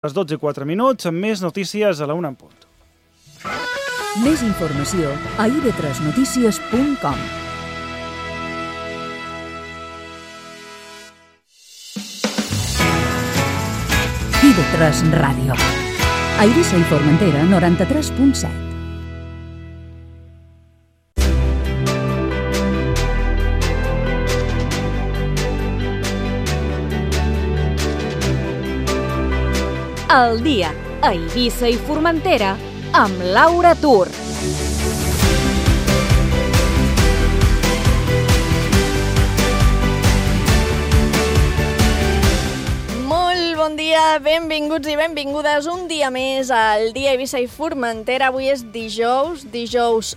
Les 12:04, amb més notícies a la 1 en punt. Més informació a ib3notícies.com. IB3 Ràdio. A Eivissa i Formentera, 93.7. El dia a Eivissa i Formentera amb Laura Tur. Bon dia, benvinguts i benvingudes un dia més al dia Eivissa i Formentera. Avui és dijous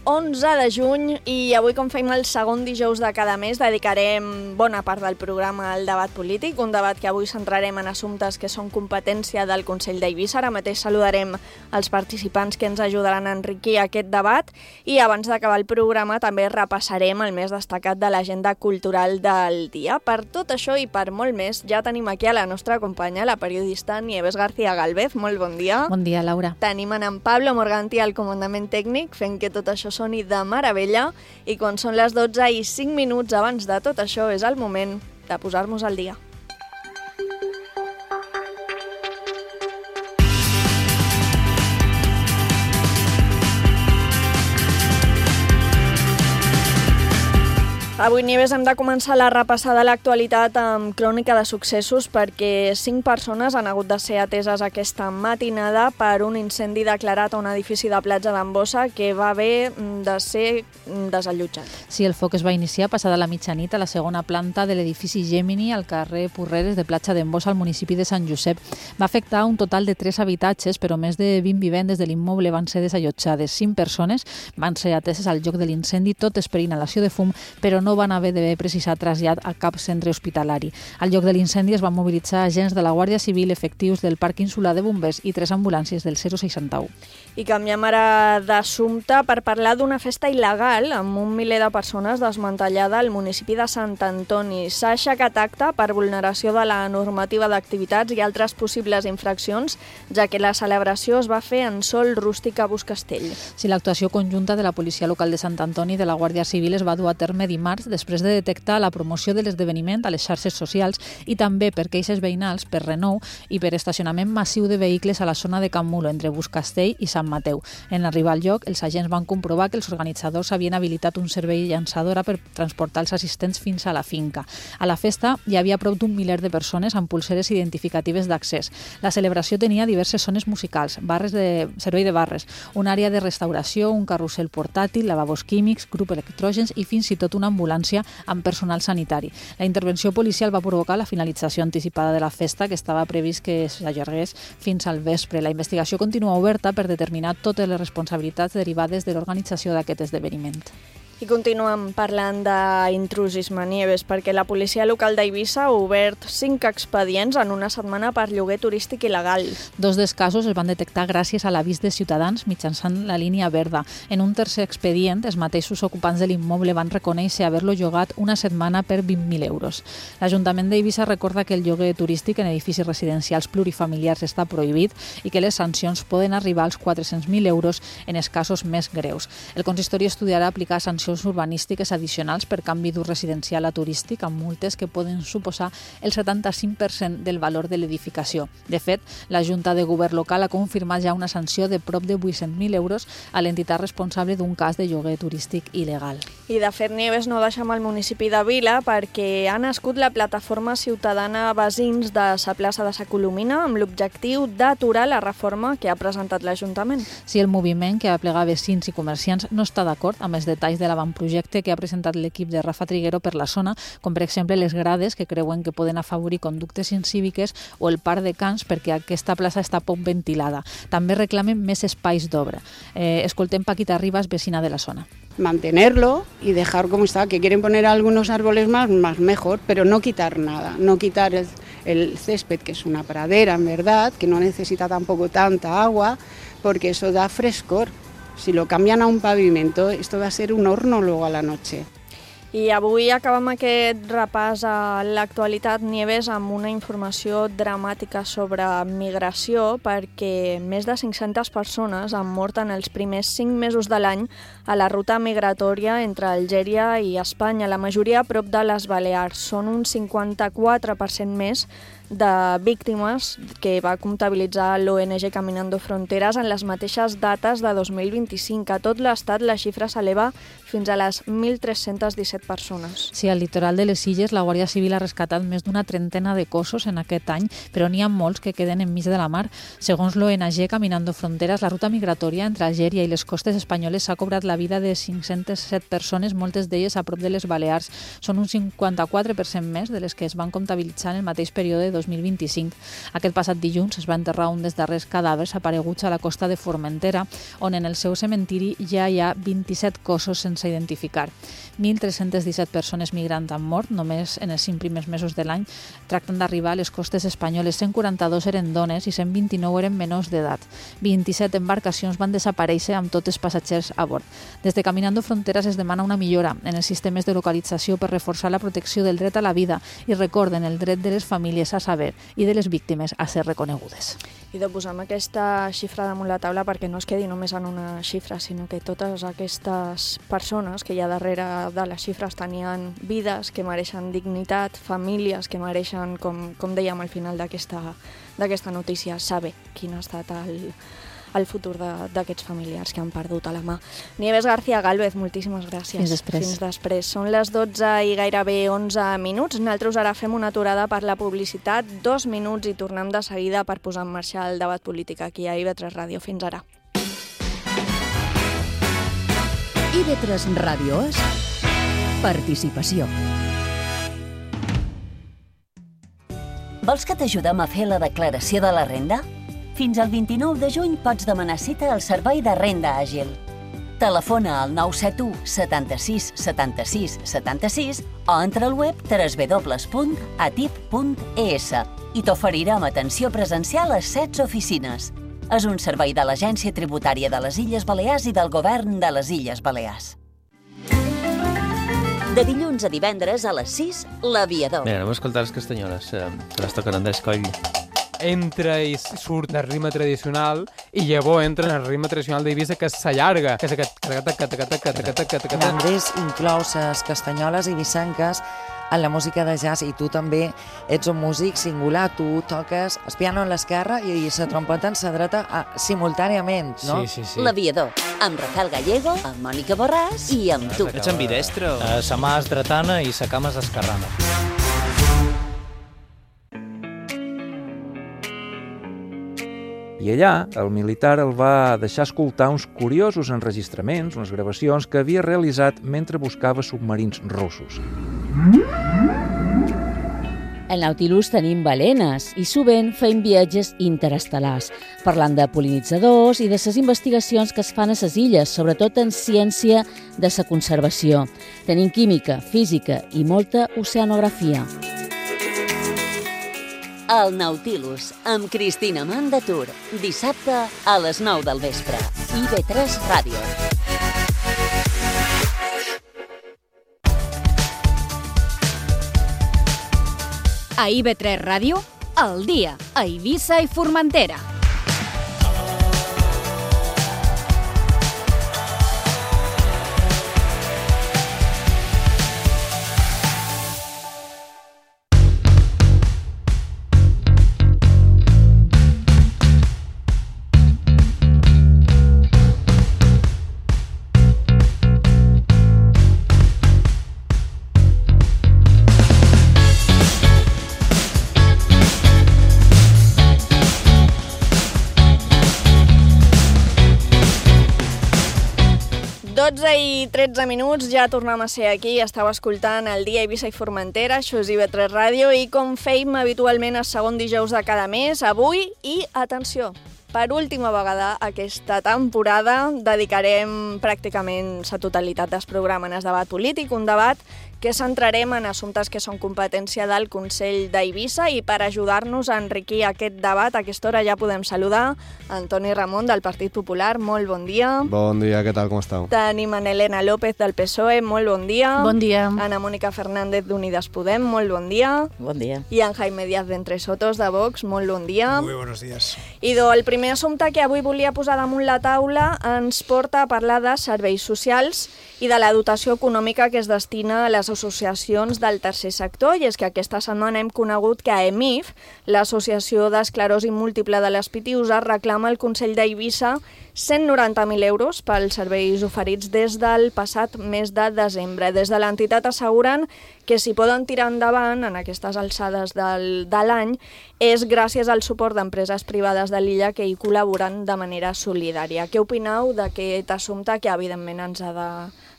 11 de juny i avui, com fem el segon dijous de cada mes, dedicarem bona part del programa al debat polític, un debat que avui centrarem en assumptes que són competència del Consell d'Eivissa. Ara mateix saludarem els participants que ens ajudaran a enriquir aquest debat i abans d'acabar el programa també repassarem el més destacat de l'agenda cultural del dia. Per tot això i per molt més, ja tenim aquí a la nostra companya, la periodista Nieves García Galvez. Molt bon dia. Bon dia, Laura. Tenim en Pablo Morganti al comandament tècnic, fent que tot això soni de meravella, i quan són les 12:05 abans de tot això és el moment de posar-nos al dia. Avui, Nieves, hem de començar la repassada de l'actualitat amb crònica de successos perquè 5 persones han hagut de ser ateses aquesta matinada per un incendi declarat a un edifici de platja d'Ambossa que va haver de ser desallotjat. Sí, el foc es va iniciar passada la mitjanit a la segona planta de l'edifici Gemini al carrer Porreres de Platja d'Ambossa al municipi de Sant Josep. Va afectar un total de 3 habitatges, però més de 20 vivendes de l'immoble van ser desallotjades. 5 persones van ser ateses al lloc de l'incendi, totes per inhalació de fum, però no van haver d'haver precisat trasllat a cap centre hospitalari. Al lloc de l'incendi es van mobilitzar agents de la Guàrdia Civil, efectius del Parc Insular de Bombers i 3 ambulàncies del 061. I canviem ara d'assumpte per parlar d'una festa il·legal amb un miler de persones desmantellada al municipi de Sant Antoni. S'ha aixecat acta per vulneració de la normativa d'activitats i altres possibles infraccions, ja que la celebració es va fer en sòl rústic a Buscastell. Sí, l'actuació conjunta de la Policia Local de Sant Antoni i de la Guàrdia Civil es va dur a terme dimarts després de detectar la promoció de l'esdeveniment a les xarxes socials i també per queixes veïnals, per renou i per estacionament massiu de vehicles a la zona de Can Mulo, entre Buscastell i Sant Mateu. En arribar al lloc, els agents van comprovar que els organitzadors havien habilitat un servei llançadora per transportar els assistents fins a la finca. A la festa hi havia prop d'un miler de persones amb pulseres identificatives d'accés. La celebració tenia diverses zones musicals, servei de barres, una àrea de restauració, un carrusel portàtil, lavabos químics, grup electrògens i fins i tot una ambulància amb personal sanitari. La intervenció policial va provocar la finalització anticipada de la festa, que estava previst que s'allargués fins al vespre. La investigació continua oberta per determinar totes les responsabilitats derivades de l'organització d'aquest esdeveniment. I continuem parlant d'intrusisme, Nieves, perquè la policia local d'Eivissa ha obert 5 expedients en una setmana per lloguer turístic il·legal. 2 dels casos es van detectar gràcies a l'avís de ciutadans mitjançant la línia verda. En un tercer expedient, els mateixos ocupants de l'immoble van reconèixer haver-lo llogat una setmana per 20.000 euros. L'Ajuntament d'Eivissa recorda que el lloguer turístic en edificis residencials plurifamiliars està prohibit i que les sancions poden arribar als 400.000 euros en els casos més greus. El consistori estudiarà aplicar sancions urbanístiques addicionals per canvi d'ús residencial a turístic amb multes que poden suposar el 75% del valor de l'edificació. De fet, la Junta de Govern local ha confirmat ja una sanció de prop de 800.000 euros a l'entitat responsable d'un cas de lloguer turístic il·legal. I de fet, Nieves, no deixem el municipi de Vila perquè ha nascut la plataforma ciutadana Veïns de sa plaça de Sa Colomina amb l'objectiu d'aturar la reforma que ha presentat l'Ajuntament. Si el moviment que aplega veïns i comerciants no està d'acord amb els detalls de l'avantprojecte que ha presentat l'equip de Rafa Triguero per la zona, com per exemple les grades que creuen que poden afavorir conductes incíviques o el parc de cans perquè aquesta plaça està poc ventilada. També reclamen més espais d'obra. Escoltem Paquita Ribas, vecina de la zona. Mantenerlo y dejar como está, que quieren poner algunos árboles más mejor, pero no quitar nada, no quitar el césped, que es una pradera en verdad, que no necesita tampoco tanta agua, porque eso da frescor. Si lo cambian a un pavimento, esto va a ser un horno luego a la noche. I avui acabem aquest repàs a l'actualitat, Nieves, amb una informació dramàtica sobre migració, perquè més de 500 persones han mort en els primers 5 mesos de l'any a la ruta migratòria entre Algèria i Espanya, la majoria a prop de les Balears. Són un 54% més de víctimes que va comptabilitzar l'ONG Caminando Fronteras en les mateixes dates de 2025. A tot l'estat la xifra s'eleva fins a les 1.317 persones. Sí, al litoral de les Illes la Guàrdia Civil ha rescatat més d'una trentena de cossos en aquest any, però n'hi ha molts que queden enmig de la mar. Segons l'ONG Caminando Fronteras, la ruta migratòria entre Algèria i les costes espanyoles s'ha cobrat la vida de 507 persones, moltes d'elles a prop de les Balears. Són un 54% més de les que es van comptabilitzar en el mateix període de 2025. Aquest passat dilluns es va enterrar un dels darrers cadàvers apareguts a la costa de Formentera, on en el seu cementiri ja hi ha 27 cossos sense identificar. 1.317 persones migrants han mort només en els 5 primers mesos de l'any. Tracten d'arribar a les costes espanyoles. 142 eren dones i 129 eren menors d'edat. 27 embarcacions van desaparèixer amb tots els passatgers a bord. Des de Caminando Fronteras es demana una millora en els sistemes de localització per reforçar la protecció del dret a la vida i recorden el dret de les famílies a saber i de les víctimes a ser reconegudes. I de posar aquesta xifra damunt la taula perquè no es quedi només en una xifra, sinó que totes aquestes persones que hi ha darrere de les xifres tenien vides que mereixen dignitat, famílies que mereixen, com dèiem al final d'aquesta notícia, saber quin ha estat el futur d'aquests familiars que han perdut a la mà. Nieves García Gálvez, moltíssimes gràcies. Fins després. Fins després. Són les 12 i gairebé 11 minuts. Nosaltres ara fem una aturada per la publicitat, 2 minuts i tornem de seguida per posar en marxa el debat polític aquí a IB3 Ràdio. Fins ara. IB3 Ràdio és participació. Vols que t'ajudem a fer la declaració de la renda? Fins al 29 de juny pots demanar cita al Servei de Renda Àgil. Telefona al 971 76 76 76 o entra al web www.atip.es i t'oferirem atenció presencial a 16 oficines. És un servei de l'Agència Tributària de les Illes Balears i del Govern de les Illes Balears. De dilluns a divendres a les 6, l'Aviador. Bé, anem a escoltar les castanyoles, que les toquen Andrés Coll. Entra i surt del ritme tradicional i llavors entra en el ritme tradicional d'Eivissa, que s'allarga, que és aquest... Andrés inclou les castanyoles eivissenques en la música de jazz i tu també ets un músic singular, tu toques el piano en l'esquerra i la trompeta en la dreta simultàniament, no? Sí. L'Aviador, amb Rafael Gallego, amb Mònica Borràs i amb tu. Ets ambidestre? Sa mà és dretana i sa cama és esquerrana. I allà, el militar el va deixar escoltar uns curiosos enregistraments, unes gravacions que havia realitzat mentre buscava submarins russos. Al Nautilus tenim balenes i sovint fem viatges interestel·lars, parlant de pol·linitzadors i de les investigacions que es fan a les illes, sobretot en ciència de la conservació. Tenim química, física i molta oceanografia. El Nautilus, amb Cristina Mandatur, dissabte a les 9 del vespre. IB3 Ràdio. A IB3 Ràdio, al dia, a Eivissa i Formentera. I 13 minuts, ja tornem a ser aquí. Estava escoltant el dia Eivissa i Formentera, això és IB3 Ràdio, i com fèiem habitualment el segon dijous de cada mes, avui, i atenció, per última vegada aquesta temporada dedicarem pràcticament la totalitat del programa en el debat polític, un debat que centrarem en assumptes que són competència del Consell d'Eivissa, i per ajudar-nos a enriquir aquest debat, a aquesta hora ja podem saludar Antoni Ramon del Partit Popular. Molt bon dia. Bon dia, què tal, com esteu? Tenim en Elena López del PSOE. Molt bon dia. Bon dia. Ana Mónica Fernández d'Unides Podem. Molt bon dia. Bon dia. I en Jaime Díaz de Entre Sotos de Vox. Molt bon dia. Muy buenos días. Idò, el primer assumpte que avui volia posar damunt la taula ens porta a parlar de serveis socials i de la dotació econòmica que es destina a les associacions del tercer sector, i és que aquesta setmana hem conegut que AEMIF, l'Associació d'Esclerosi Múltiple de les Pitiüses, reclama al Consell d'Eivissa 190.000 euros pels serveis oferits des del passat mes de desembre. Des de l'entitat asseguren que si poden tirar endavant en aquestes alçades de l'any és gràcies al suport d'empreses privades de l'illa que hi col·laboren de manera solidària. Què opineu d'aquest assumpte que evidentment ens ha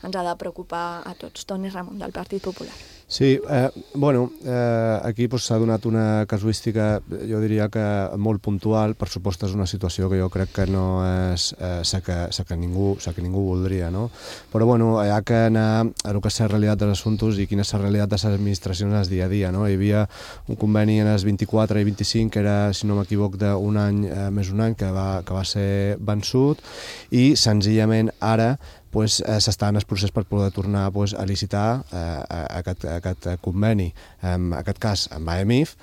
de preocupar a tots? Toni Ramon, del Partit Popular. Sí, aquí s'ha donat una casuística, jo diria que molt puntual. Per supost és una situació que jo crec que no és la que ningú voldria, no? Però hi ha que anar a el que és la realitat dels assumptes i quina és la realitat de les administracions al dia a dia, no? Hi havia un conveni en els 24 i 25 que era, si no m'equivoc, d'un any més un any que va ser vençut, i senzillament ara s'està en el procés per poder tornar a licitar aquest conveni, en aquest cas amb AEMIF,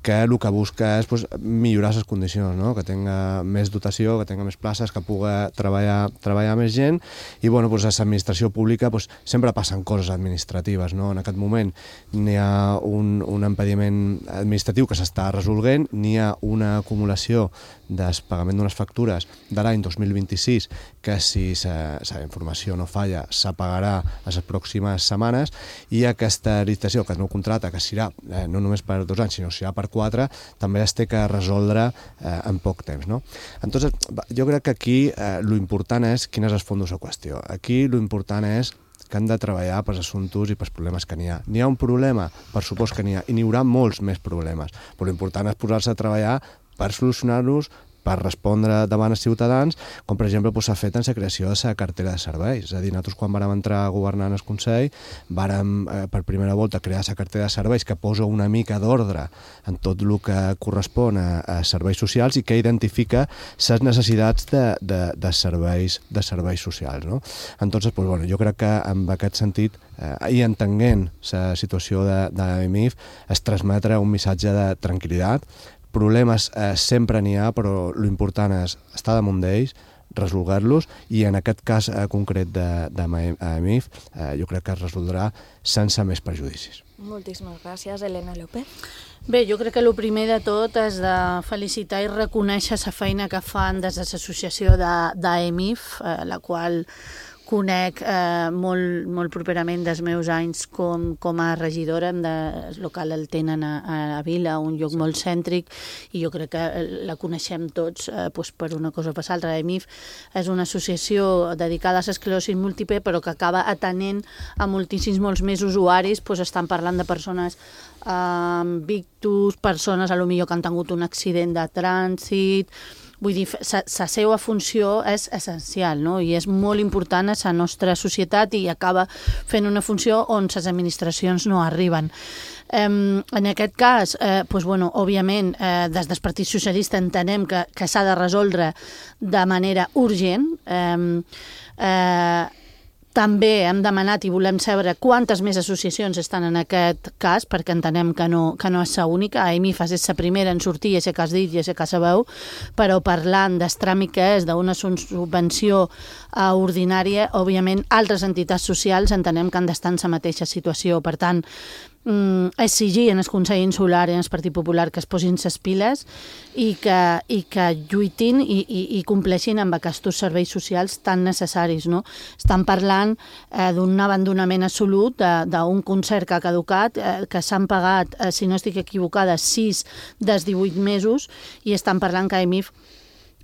que el que busca és millorar les condicions, no? Que tinga més dotació, que tinga més places, que pugui treballar més gent, i a l'administració pública sempre passen coses administratives, no? En aquest moment n'hi ha un impediment administratiu que s'està resolent, n'hi ha una acumulació del pagament d'unes factures de l'any 2026 que, si la informació no falla, s'apagarà a les pròximes setmanes, i aquesta licitació, aquest nou contracte, que serà no només per 2 anys, sinó serà per 4, també es té que resoldre en poc temps, no? Entonces, jo crec que aquí l'important és quin és el fons de la qüestió. Aquí l'important és que han de treballar pels assumptes i pels problemes que n'hi ha. N'hi ha un problema, per supost que n'hi ha, i n'hi haurà molts més problemes, però l'important és posar-se a treballar per solucionar-los, per respondre davant els ciutadans, com per exemple s'ha fet en la creació de la cartera de serveis. És a dir, nosaltres quan vàrem entrar a governar en el Consell vàrem per primera volta crear la cartera de serveis que posa una mica d'ordre en tot el que correspon a serveis socials i que identifica les necessitats de serveis socials, no? Entonces, jo crec que en aquest sentit, i entenent la situació d'AEMIF, es transmetre un missatge de tranquil·litat. Problemes sempre n'hi ha, però l'important és estar damunt d'ells, resolgar-los, i en aquest cas concret d'AEMIF jo crec que es resoldrà sense més perjudicis. Moltíssimes gràcies, Elena López. Bé, jo crec que el primer de tot és de felicitar i reconèixer la feina que fan des de l'associació d'AEMIF, la qual conec molt properament dels meus anys com a regidora. El local el tenen a Vila, un lloc molt cèntric, i jo crec que la coneixem tots per una cosa o per l'altra. AEMIF és una associació dedicada a l'esclerosi múltiple, però que acaba atenent a molts més usuaris. Estan parlant de persones amb ictus, persones potser que han tingut un accident de trànsit. Vull dir, la seva funció és essencial, no? I és molt important a la nostra societat, i acaba fent una funció on les administracions no arriben. En aquest cas, òbviament, des del Partit Socialista entenem que s'ha de resoldre de manera urgent. També hem demanat i volem saber quantes més associacions estan en aquest cas, perquè entenem que no és l'única. AEMIF és la primera en sortir, i és que has dit, i és que sabeu, però parlant del tràmit que és d'una subvenció ordinària, òbviament altres entitats socials entenem que han d'estar en la mateixa situació. Per tant, exigir en el Consell Insular i en el Partit Popular que es posin les piles i que lluitin i compleixin amb aquests serveis socials tan necessaris, no? Estan parlant d'un abandonament absolut, d'un concert que ha caducat, que s'han pagat, si no estic equivocada, 6 dels 18 mesos, i estan parlant que AEMIF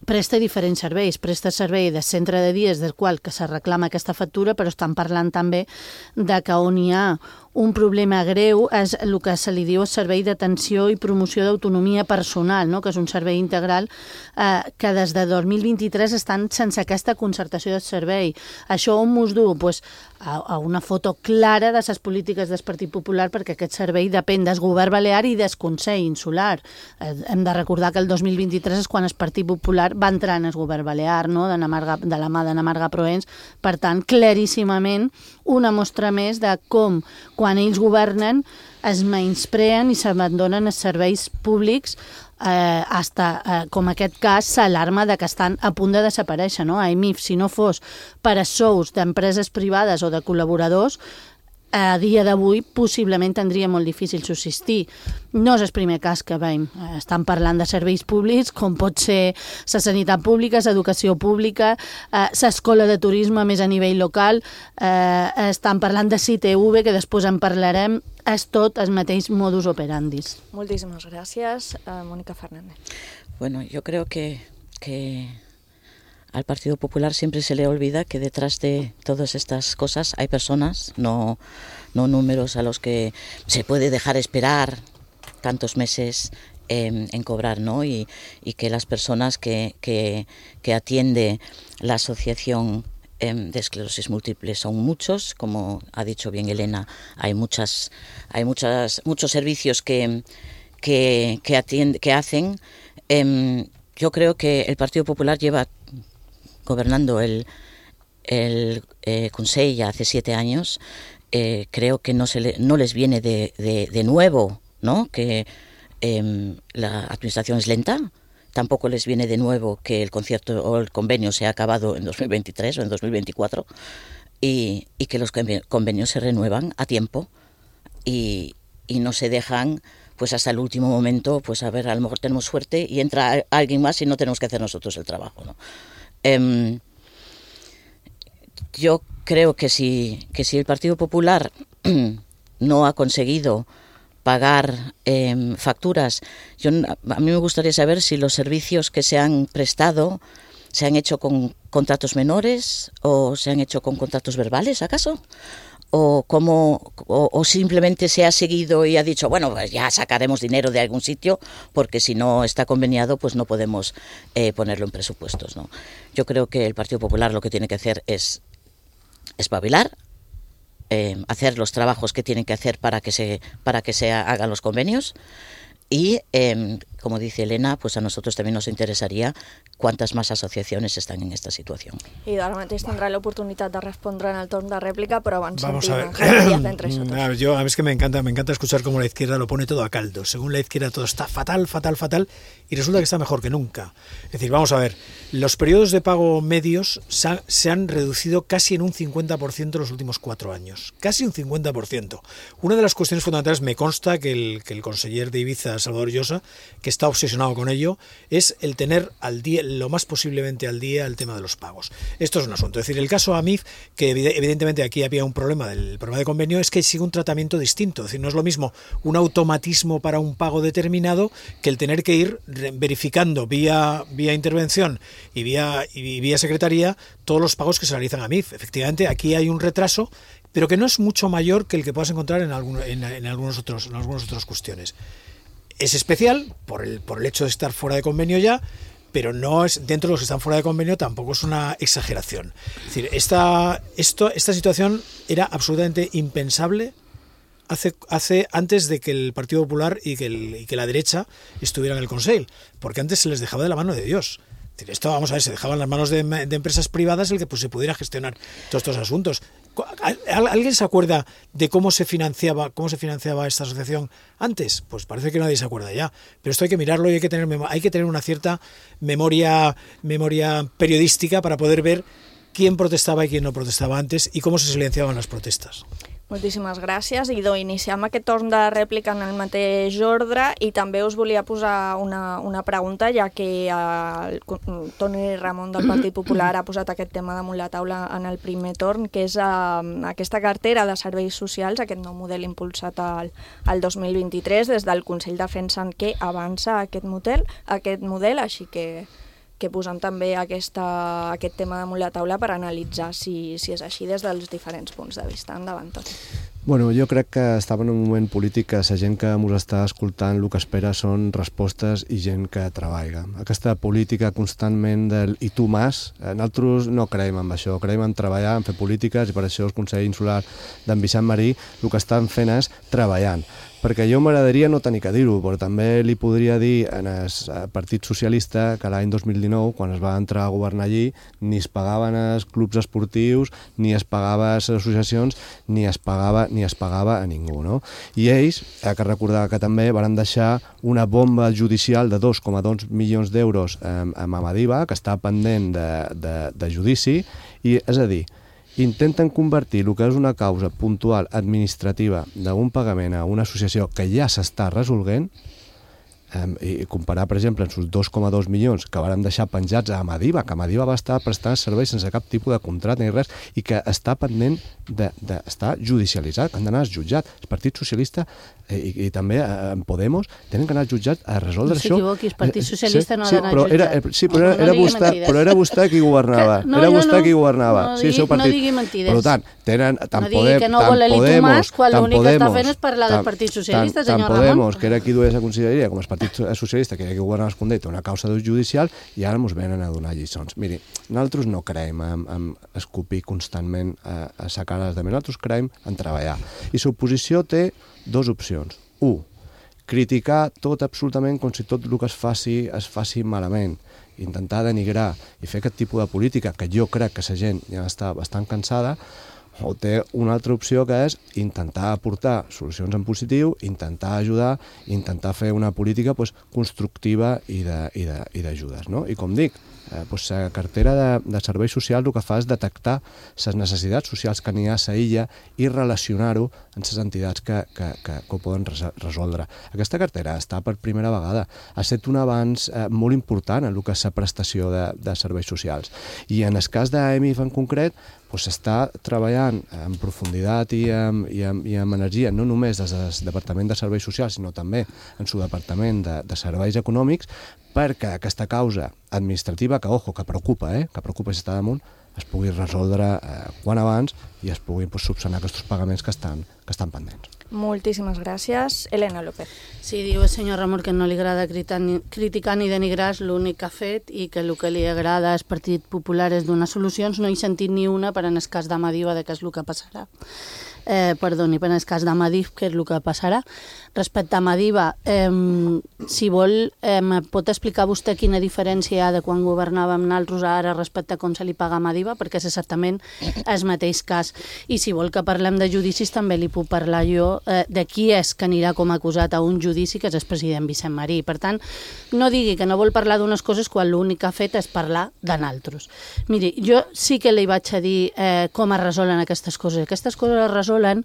presta diferents serveis. Presta servei de centre de dies del qual que se reclama aquesta factura, però estan parlant també de que on hi ha un problema greu és el que se li diu el servei d'atenció i promoció d'autonomia personal, no? Que és un servei integral que des de 2023 estan sense aquesta concertació del servei. Això on mos du? Pues, a una foto clara de les polítiques del Partit Popular, perquè aquest servei depèn del govern balear i del Consell Insular. Hem de recordar que el 2023 és quan el Partit Popular va entrar en el govern balear, no? De la mà d'Anna Marga Proens. Per tant, claríssimament, una mostra més de com, quan ells governen, es menyspreen i s'abandonen els serveis públics, com aquest cas s'alarma de que estan a punt de desaparèixer, no? AEMIF, si no fos per a sous d'empreses privades o de col·laboradors, a dia d'avui possiblement tindria molt difícil subsistir. No és el primer cas que veiem. Estan parlant de serveis públics, com pot ser la sanitat pública, l'educació pública, l'escola de turisme més a nivell local, estan parlant de CITV, que després en parlarem, és tot el mateix modus operandi. Moltíssimes gràcies, Mónica Fernández. Bueno, yo creo que al Partido Popular siempre se le olvida que detrás de todas estas cosas hay personas, no números a los que se puede dejar esperar tantos meses en cobrar, ¿no? Y que las personas que atiende la asociación de esclerosis múltiple son muchos, como ha dicho bien Elena, hay muchos servicios que hacen. Yo creo que el Partido Popular lleva gobernando el Consell ya hace 7 años. Creo que no les viene de nuevo, ¿no? Que la administración es lenta. Tampoco les viene de nuevo que el concierto o el convenio se ha acabado en 2023 o en 2024 y que los convenios se renuevan a tiempo y no se dejan pues hasta el último momento, pues a ver, a lo mejor tenemos suerte y entra alguien más y no tenemos que hacer nosotros el trabajo, ¿no? Yo creo que si el Partido Popular no ha conseguido pagar facturas, a mí me gustaría saber si los servicios que se han prestado se han hecho con contratos menores o se han hecho con contratos verbales, ¿acaso? O simplemente se ha seguido y ha dicho, bueno, pues ya sacaremos dinero de algún sitio porque si no está conveniado pues no podemos ponerlo en presupuestos, ¿no? Yo creo que el Partido Popular lo que tiene que hacer es espabilar, hacer los trabajos que tienen que hacer para que se hagan los convenios y, como dice Elena, pues a nosotros también nos interesaría quantes més associacions estan en esta situació. I ara mateix tindrà l'oportunitat de respondre en el torn de réplica, pero abans sentim a Javier Díaz entre nosotros. A mí es que me encanta escuchar cómo la izquierda lo pone todo a caldo. Según la izquierda todo está fatal, y resulta que está mejor que nunca. Es decir, vamos a ver, los periodos de pago medios se han reducido casi en un 50% en los últimos 4 años. Casi un 50%. Una de las cuestiones fundamentales, me consta que el conseller de Ibiza, Salvador Llosa, que está obsesionado con ello, es el tener al día, lo más posiblemente al día, el tema de los pagos. Esto es un asunto. Es decir, el caso AMIF, que evidentemente aquí había un problema, el problema de convenio, es que sigue un tratamiento distinto. Es decir, no es lo mismo un automatismo para un pago determinado que el tener que ir verificando vía intervención y vía secretaría todos los pagos que se realizan a AMIF. Efectivamente, aquí hay un retraso, pero que no es mucho mayor que el que puedas encontrar en algunas otras cuestiones. Es especial por el hecho de estar fuera de convenio ya, pero no es, dentro de los que están fuera de convenio tampoco es una exageración. Es decir, esta situación era absolutamente impensable antes de que el Partido Popular y que la derecha estuvieran en el Consell, porque antes se les dejaba de la mano de Dios. Es decir, esto, vamos a ver, se dejaban en las manos de empresas privadas el que pues se pudiera gestionar todos estos asuntos. ¿Alguien se acuerda de cómo se financiaba esta asociación antes? Pues parece que nadie se acuerda ya. Pero esto hay que mirarlo y hay que tener una cierta memoria periodística para poder ver quién protestaba y quién no protestaba antes y cómo se silenciaban las protestas. Moltíssimes gràcies. Idò, iniciem aquest torn de rèplica en el mateix ordre i també us volia posar una pregunta, ja que el Toni Ramon del Partit Popular ha posat aquest tema damunt la taula en el primer torn, que és aquesta cartera de serveis socials, aquest nou model impulsat al 2023. Des del Consell defensen que avança aquest model, així que posem també aquest tema damunt la taula per analitzar si és així des dels diferents punts de vista. Endavant, Toni. Bueno, jo crec que estava en un moment polític que la gent que ens està escoltant el que espera són respostes i gent que treballa. Aquesta política constantment del i tu más, nosaltres no creiem en això, creiem en treballar, en fer polítiques, i per això el Consell Insular d'en Vicent Marí el que estan fent és treballant. Perquè jo m'agradaria no tenir que dir-ho, però també li podria dir en el Partit Socialista que l'any 2019, quan es va entrar a governar allí, ni es pagaven els clubs esportius, ni es pagava a les associacions, ni es pagava a ningú, no? I ells, que recordar que també van deixar una bomba judicial de 2,2 milions d'euros a Madiba, que està pendent de judici, i és a dir, intenten convertir el que és una causa puntual administrativa d'un pagament a una associació que ja s'està resolent i comparar, per exemple, amb els 2,2 milions que van deixar penjats a Madiba, que Madiba va estar prestant serveis sense cap tipus de contracte ni res, i que està pendent d'estar judicialitzat, que han d'anar al jutjat. El Partit Socialista i també en Podemos tenen que anar al jutjat a resoldre això. No s'equivoqui, el Partit Socialista no ha d'anar al jutjat. Sí, però era vostè qui governava. Era vostè qui governava. No digui mentides. Per tant, no digui que no vol l'Elito Mas quan l'únic que està fent és parlar del Partit Socialista, senyor Ramon. Tant Podemos, que era qui duia la conselleria, com el Partit Socialista, que era qui governava el Condell, té una causa judicial, i ara ens venen a donar lliçons. Miri, nosaltres no creiem en escopir constantment a la cara dels altres, nosaltres creiem en treballar. I l'oposició té dues opcions. 1. Criticar tot absolutament com si tot el que es faci malament, intentar denigrar i fer aquest tipus de política que jo crec que la gent ja està bastant cansada, o té una altra opció que és intentar aportar solucions en positiu, intentar ajudar, intentar fer una política constructiva i d'ajudes. I com dic, la cartera de serveis socials el que fa és detectar les necessitats socials que n'hi ha a la illa i relacionar-ho amb les entitats que ho poden resoldre. Aquesta cartera està per primera vegada. Ha estat un avanç molt important en el que és la prestació de serveis socials. I en el cas d'EMIF en concret, s'està treballant en profunditat i amb energia, no només des del Departament de Serveis Socials, sinó també en el Departament de Serveis Econòmics, perquè aquesta causa administrativa, que preocupa, que preocupa si està damunt, es pugui resoldre quan abans i es puguin subsanar aquests pagaments que estan pendents. Moltíssimes gràcies. Elena López. Sí, diu el senyor Ramon que no li agrada criticar ni denigrar, és l'únic que ha fet, i que el que li agrada al Partit Popular és donar solucions. No he sentit ni una per en el cas d'Amadiva de què és el que passarà. Perdoni, per en el cas d'Amadif, què és el que passarà. Respecte a Madiba, si vol, pot explicar vostè quina diferència hi ha de quan governàvem nosaltres ara respecte a com se li paga a Madiba, perquè és exactament el mateix cas. I si vol que parlem de judicis, també li puc parlar jo de qui és que anirà com a acusat a un judici, que és el president Vicent Marí. Per tant, no digui que no vol parlar d'unes coses quan l'únic que ha fet és parlar de nosaltres. Miri, jo sí que li vaig a dir com es resolen aquestes coses. Aquestes coses es resolen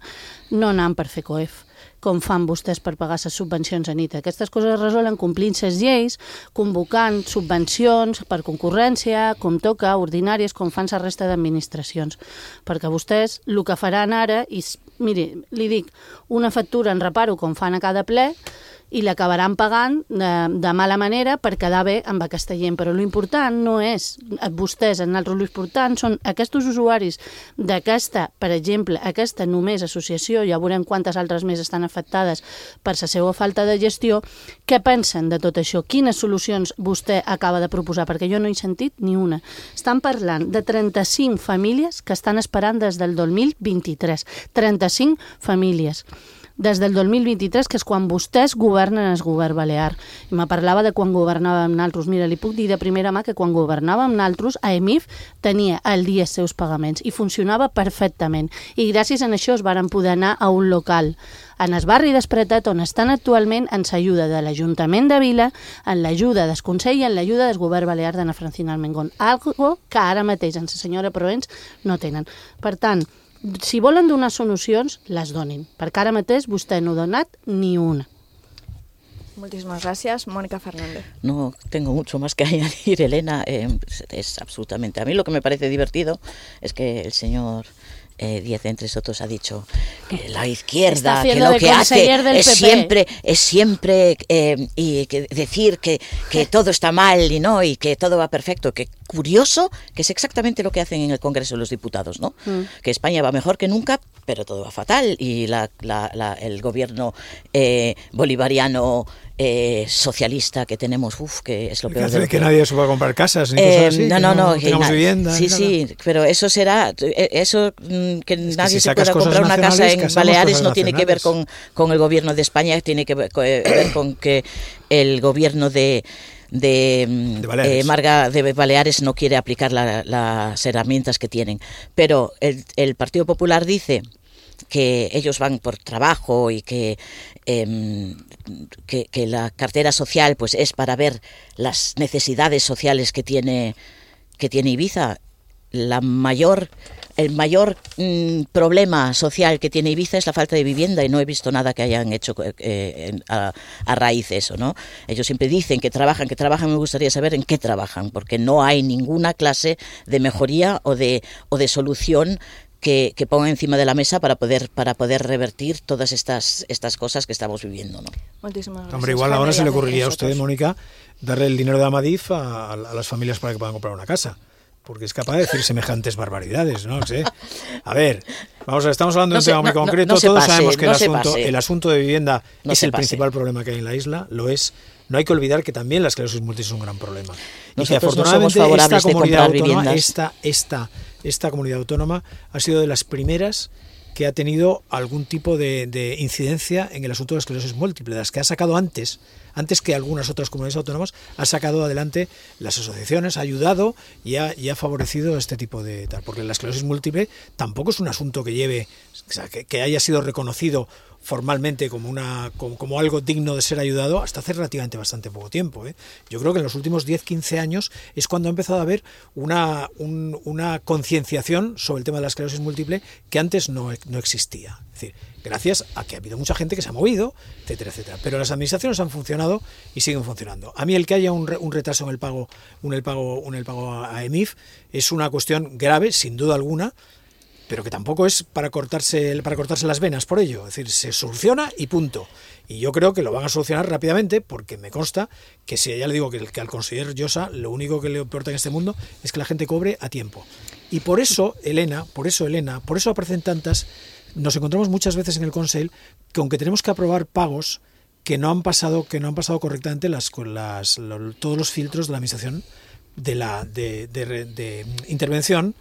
no anant per fer COEF, com fan vostès per pagar les subvencions a NITA. Aquestes coses es resolen complint les lleis, convocant subvencions per concurrència, com toca, ordinàries, com fan la resta d'administracions. Perquè vostès el que faran ara, i miri, li dic, una factura en reparo com fan a cada ple, i l'acabaran pagant de mala manera per quedar bé amb aquesta gent. Però l'important no és vostès, nosaltres, l'important són aquests usuaris d'aquesta, per exemple, aquesta només associació, ja veurem quantes altres més estan afectades per la seva falta de gestió. Què pensen de tot això? Quines solucions vostè acaba de proposar? Perquè jo no he sentit ni una. Estan parlant de 35 famílies que estan esperant des del 2023. 35 famílies. Des del 2023, que és quan vostès governen el govern balear. I me parlava de quan governàvem nosaltres. Mira, li puc dir de primera mà que quan governàvem nosaltres, EMIF tenia al dia els seus pagaments i funcionava perfectament. I gràcies a això es varen poder anar a un local en el barri d'Espretat, on estan actualment, en l'ajuda de l'Ajuntament de Vila, en l'ajuda del Consell i en l'ajuda del govern balear d'Anna Francina Almengón. Algo que ara mateix, en la senyora Proens, no tenen. Per tant, si volen donar solucions, les donin, perquè ara mateix vostè no ha donat ni una. Muchísimas gracias. Mónica Fernández. No tengo mucho más que añadir, Elena. Es absolutamente... A mí lo que me parece divertido es que el señor Díaz, entre otros, ha dicho que la izquierda, que lo que hace es siempre y que decir que todo está mal y que todo va perfecto. Que curioso, que es exactamente lo que hacen en el Congreso de los Diputados, ¿no? Que España va mejor que nunca, pero todo va fatal y el gobierno bolivariano socialista que tenemos, que es lo peor. Hace que nadie se pueda comprar casas ni cosas así. No, tengamos vivienda. Sí, pero eso será, que nadie se pueda comprar una casa en Baleares no tiene que ver con el gobierno de España, tiene que ver con que el gobierno de Baleares no quiere aplicar las herramientas que tienen. Pero el Partido Popular dice que ellos van por trabajo y que la cartera social pues es para ver las necesidades sociales que tiene Ibiza. El mayor problema social que tiene Ibiza es la falta de vivienda y no he visto nada que hayan hecho a raíz de eso, ¿no? Ellos siempre dicen que trabajan, me gustaría saber en qué trabajan, porque no hay ninguna clase de mejoría o de solución que ponga encima de la mesa para poder revertir todas estas cosas que estamos viviendo, ¿no? Muchísimas gracias. Hombre, igual ahora se le ocurriría a usted, Mónica, darle el dinero de Amadif a las familias para que puedan comprar una casa. Porque es capaz de decir semejantes barbaridades, ¿no? sé. A ver, vamos a ver, estamos hablando de un tema muy concreto. Todos sabemos que el asunto de vivienda es el principal problema que hay en la isla, lo es. No hay que olvidar que también la esclerosis múltiple es un gran problema. Y que afortunadamente esta comunidad autónoma ha sido de las primeras que ha tenido algún tipo de incidencia en el asunto de la esclerosis múltiple, de las que ha sacado antes que algunas otras comunidades autónomas, ha sacado adelante las asociaciones, ha ayudado y ha favorecido este tipo de tal, porque la esclerosis múltiple tampoco es un asunto que lleve, o sea, que haya sido reconocido formalmente como algo digno de ser ayudado hasta hace relativamente bastante poco tiempo. Yo creo que en los últimos 10-15 años es cuando ha empezado a haber una concienciación sobre el tema de la esclerosis múltiple que antes no existía. Es decir, gracias a que ha habido mucha gente que se ha movido, etcétera, etcétera. Pero las administraciones han funcionado y siguen funcionando. A mí el que haya un retraso en el pago a EMIF es una cuestión grave, sin duda alguna, pero que tampoco es para cortarse las venas por ello. Es decir, se soluciona y punto. Y yo creo que lo van a solucionar rápidamente, porque me consta que si ya le digo que al conseller Llosa lo único que le importa en este mundo es que la gente cobre a tiempo. Y por eso, Elena, por eso aparecen tantas, nos encontramos muchas veces en el Consell que aunque tenemos que aprobar pagos que no han pasado correctamente todos los filtros de la administración de intervención.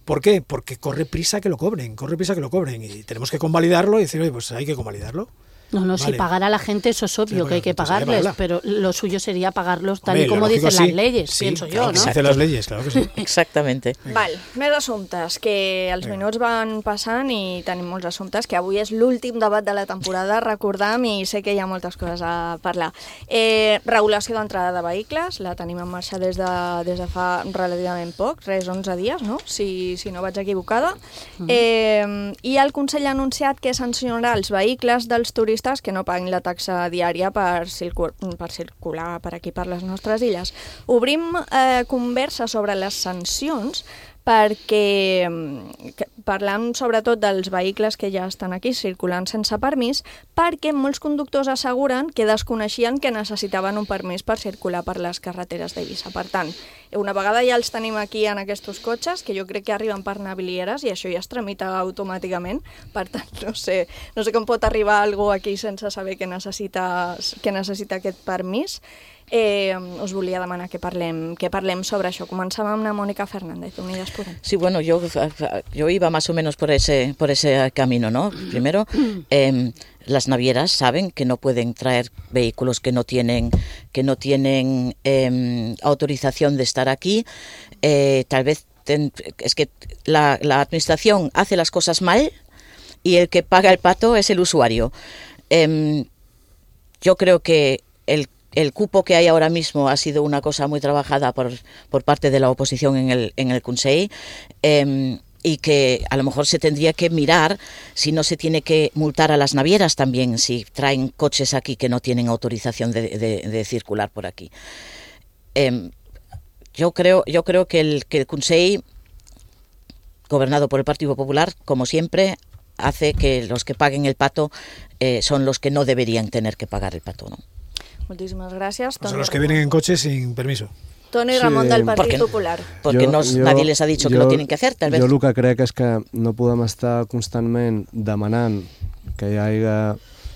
¿Por qué? Porque corre prisa que lo cobren y tenemos que convalidarlo y decir, oye, pues hay que convalidarlo. No, vale. Si pagar a la gente, eso es obvio, que hay que pagarles, pero lo suyo sería pagarlos tal y como dicen las leyes, pienso yo, ¿no? Dicen las leyes, claro que sí. Exactamente. Val, més assumptes, que els minuts van passant i tenim molts assumptes, que avui és l'últim debat de la temporada, recordam, i sé que hi ha moltes coses a parlar. Regulació d'entrada de vehicles, la tenim en marxa des de fa relativament poc, 11 dies, no? Si no vaig equivocada. I el Consell ha anunciat que sancionarà els vehicles dels turistes que no paguin la taxa diària per circular per aquí, per les nostres illes. Obrim conversa sobre les sancions perquè parlam sobretot dels vehicles que ja estan aquí circulant sense permís, perquè molts conductors asseguren que desconeixien que necessitaven un permís per circular per les carreteres d'Eivissa. Per tant, una vegada ja els tenim aquí en aquests cotxes, que jo crec que arriben per navilieres i això ja es tramita automàticament, per tant, no sé com pot arribar algú aquí sense saber que necessita aquest permís. Us volia demanar que parlem sobre això. Començam amb la Mónica Fernández, Unidas Podem. Sí, bueno, yo iba más o menos por ese camino, ¿no? Primero, las navieras saben que no pueden traer vehículos que no tienen autorización de estar aquí. Tal vez es que la administración hace las cosas mal y el que paga el pato es el usuario. Yo creo que el cupo que hay ahora mismo ha sido una cosa muy trabajada por parte de la oposición en el Consell, y que a lo mejor se tendría que mirar si no se tiene que multar a las navieras también si traen coches aquí que no tienen autorización de circular por aquí. Yo creo que el Consell, gobernado por el Partido Popular, como siempre, hace que los que paguen el pato son los que no deberían tener que pagar el pato, ¿no? Moltíssimes gràcies. Son los que vienen en coche sin permiso. Toni Ramon del Partit Popular. Porque nadie les ha dicho que lo tienen que hacer, tal vez. Jo el que crec és que no podem estar constantment demanant que hi hagi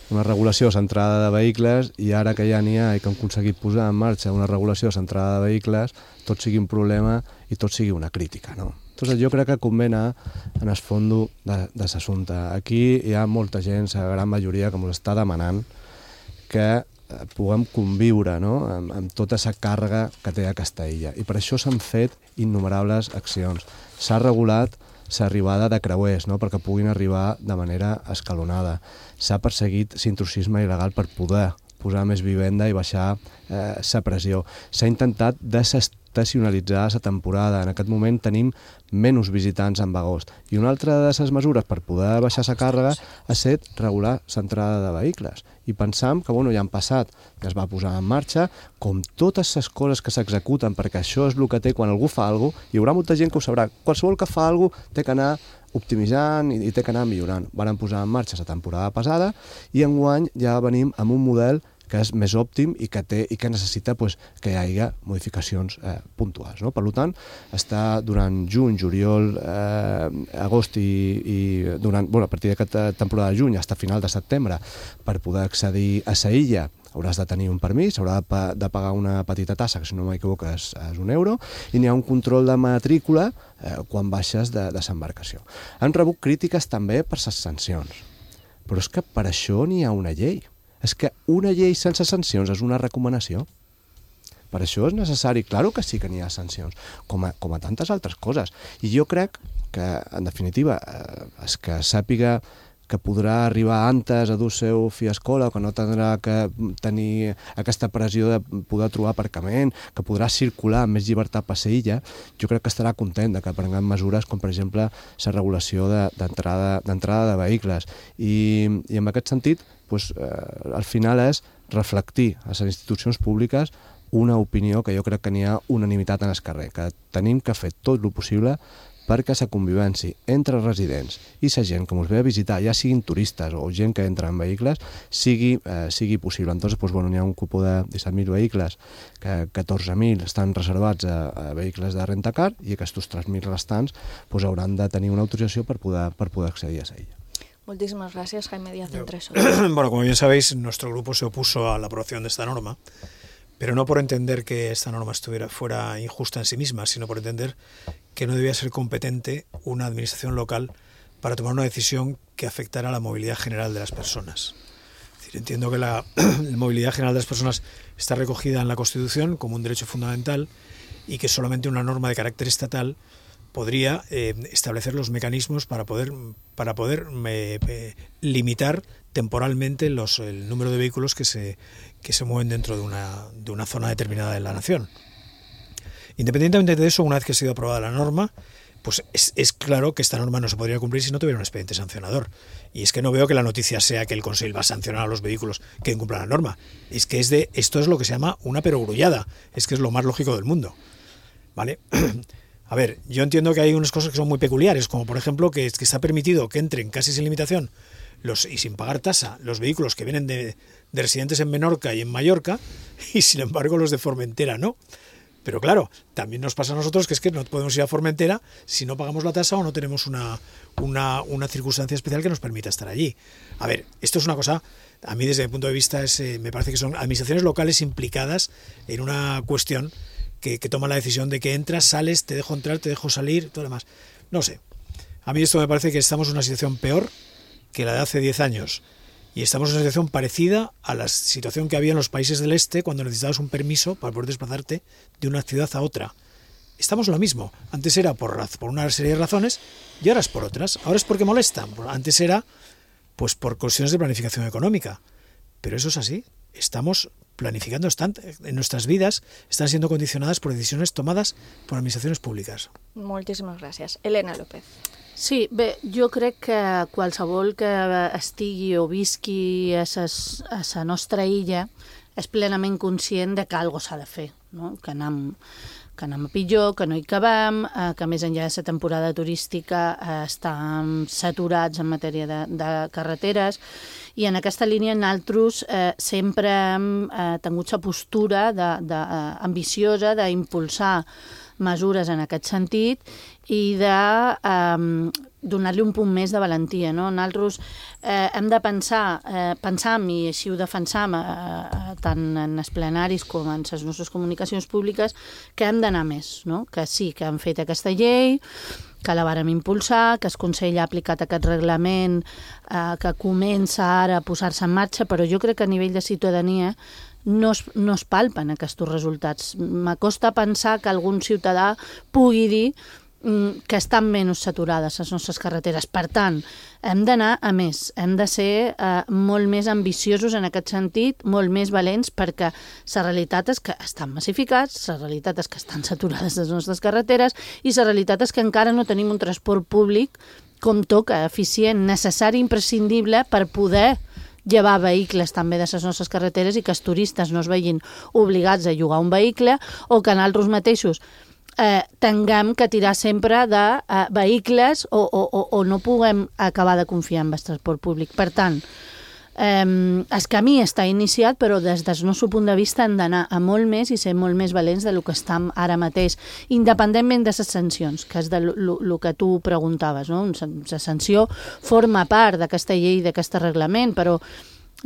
una regulació centrada de vehicles i ara que ja n'hi ha i que hem aconseguit posar en marxa una regulació centrada de vehicles, tot sigui un problema i tot sigui una crítica, no? Entonces jo crec que convé anar en el fons de l'assumpte. Aquí hi ha molta gent, la gran majoria, que ens està demanant que puguem conviure, no?, amb tota aquesta càrrega que té aquesta illa. I per això s'han fet innumerables accions. S'ha regulat l'arribada de creuers, no?, perquè puguin arribar de manera escalonada. S'ha perseguit l'intrusisme il·legal per poder posar més vivenda i baixar la pressió. S'ha intentat desestacionalitzar la temporada. En aquest moment tenim menys visitants en agost. I una altra de les mesures per poder baixar la càrrega ha estat regular l'entrada de vehicles. I pensam que ja han passat, que es va posar en marxa, com totes les coses que s'executen, perquè això és el que té quan algú fa alguna cosa, hi haurà molta gent que ho sabrà. Qualsevol que fa alguna cosa té que anar optimitzant i té que anar millorant. Van posar en marxa la temporada passada i enguany ja venim amb un model que és més òptim i que necessita que hi hagi modificacions puntuals. Per tant, està durant juny, juliol, agost i a partir d'aquesta temporada de juny fins a final de setembre per poder accedir a la illa hauràs de tenir un permís, haurà de pagar una petita tassa, que si no m'equivoco és €1, i n'hi ha un control de matrícula quan baixes de l'embarcació. Han rebut crítiques també per les sancions, però és que per això n'hi ha una llei. És que una llei sense sancions és una recomanació. Per això és necessari, claro que sí que n'hi ha sancions, com a tantes altres coses. I jo crec que, en definitiva, és que sàpiga que podrà arribar antes a dur seu fill a escola, que no tindrà que tenir aquesta pressió de poder trobar aparcament, que podrà circular amb més llibertat per la illa, jo crec que estarà content de que prenguem mesures com, per exemple, la regulació d'entrada de vehicles. I en aquest sentit, al final és reflectir a les institucions públiques una opinió que jo crec que n'hi ha unanimitat en el carrer, que tenim que fer tot el possible perquè la convivència entre residents i la gent que ens ve a visitar, ja siguin turistes o gent que entra en vehicles, sigui possible. Entonces, n'hi ha un cupo de 17.000 vehicles, que 14.000 estan reservats a vehicles de rentacar i aquests 3.000 restants hauran de tenir una autorització per poder accedir a la illa. Muchísimas gracias, Jaime Díaz Entreso. Bueno, como bien sabéis, nuestro grupo se opuso a la aprobación de esta norma, pero no por entender que esta norma fuera injusta en sí misma, sino por entender que no debía ser competente una administración local para tomar una decisión que afectara a la movilidad general de las personas. Es decir, entiendo que la movilidad general de las personas está recogida en la Constitución como un derecho fundamental y que solamente una norma de carácter estatal podría establecer los mecanismos para poder limitar temporalmente el número de vehículos que se mueven dentro de una zona determinada de la nación. Independientemente de eso, una vez que ha sido aprobada la norma, pues es claro que esta norma no se podría cumplir si no tuviera un expediente sancionador. Y es que no veo que la noticia sea que el Consell va a sancionar a los vehículos que incumplan la norma. Es que esto es lo que se llama una perogrullada. Es que es lo más lógico del mundo. ¿Vale? A ver, yo entiendo que hay unas cosas que son muy peculiares, como por ejemplo que está permitido que entren casi sin limitación y sin pagar tasa los vehículos que vienen de residentes en Menorca y en Mallorca, y sin embargo los de Formentera no. Pero claro, también nos pasa a nosotros que es que no podemos ir a Formentera si no pagamos la tasa o no tenemos una circunstancia especial que nos permita estar allí. A ver, esto es una cosa, a mí desde mi punto de vista me parece que son administraciones locales implicadas en una cuestión que toman la decisión de que entras, sales, te dejo entrar, te dejo salir, todo lo demás. No sé. A mí esto me parece que estamos en una situación peor que la de hace 10 años. Y estamos en una situación parecida a la situación que había en los países del este cuando necesitabas un permiso para poder desplazarte de una ciudad a otra. Estamos en lo mismo. Antes era por una serie de razones y ahora es por otras. Ahora es porque molestan. Antes era pues por cuestiones de planificación económica. Pero eso es así. Estamos planificando, en nuestras vidas están siendo condicionadas por decisiones tomadas por administraciones públiques. Moltíssimes gràcies. Elena López. Sí, bé, jo crec que qualsevol que estigui o visqui a la nostra illa és plenament conscient de que alguna cosa s'ha de fer, no? Que anem a pitjor, que no hi cabem, que més enllà de la temporada turística estan saturats en matèria de carreteres, i en aquesta línia nosaltres sempre hem tingut la postura ambiciosa d'impulsar mesures en aquest sentit i de donar-li un punt més de valentia. Nosaltres hem de pensar, i així ho defensam tant en els plenaris com en les nostres comunicacions públiques, que hem d'anar més, que sí, que hem fet aquesta llei, que la vàrem impulsar, que el Consell ha aplicat aquest reglament, que comença ara a posar-se en marxa, però jo crec que a nivell de ciutadania no es palpen aquests resultats. M'acosta pensar que algun ciutadà pugui dir que estan menys saturades les nostres carreteres. Per tant, hem d'anar a més, hem de ser molt més ambiciosos en aquest sentit, molt més valents, perquè la realitat és que estan massificats, la realitat és que estan saturades les nostres carreteres i la realitat és que encara no tenim un transport públic com toca, eficient, necessari, imprescindible per poder llevar vehicles també de les nostres carreteres i que els turistes no es vegin obligats a llogar un vehicle o que nosaltres mateixos tinguem que tirar sempre de vehicles o no puguem acabar de confiar en el transport públic. Per tant, el camí està iniciat, però des del nostre punt de vista hem d'anar a molt més i ser molt més valents del que estem ara mateix, independentment de les sancions, que és el que tu preguntaves. La sanció forma part d'aquesta llei, d'aquest reglament, però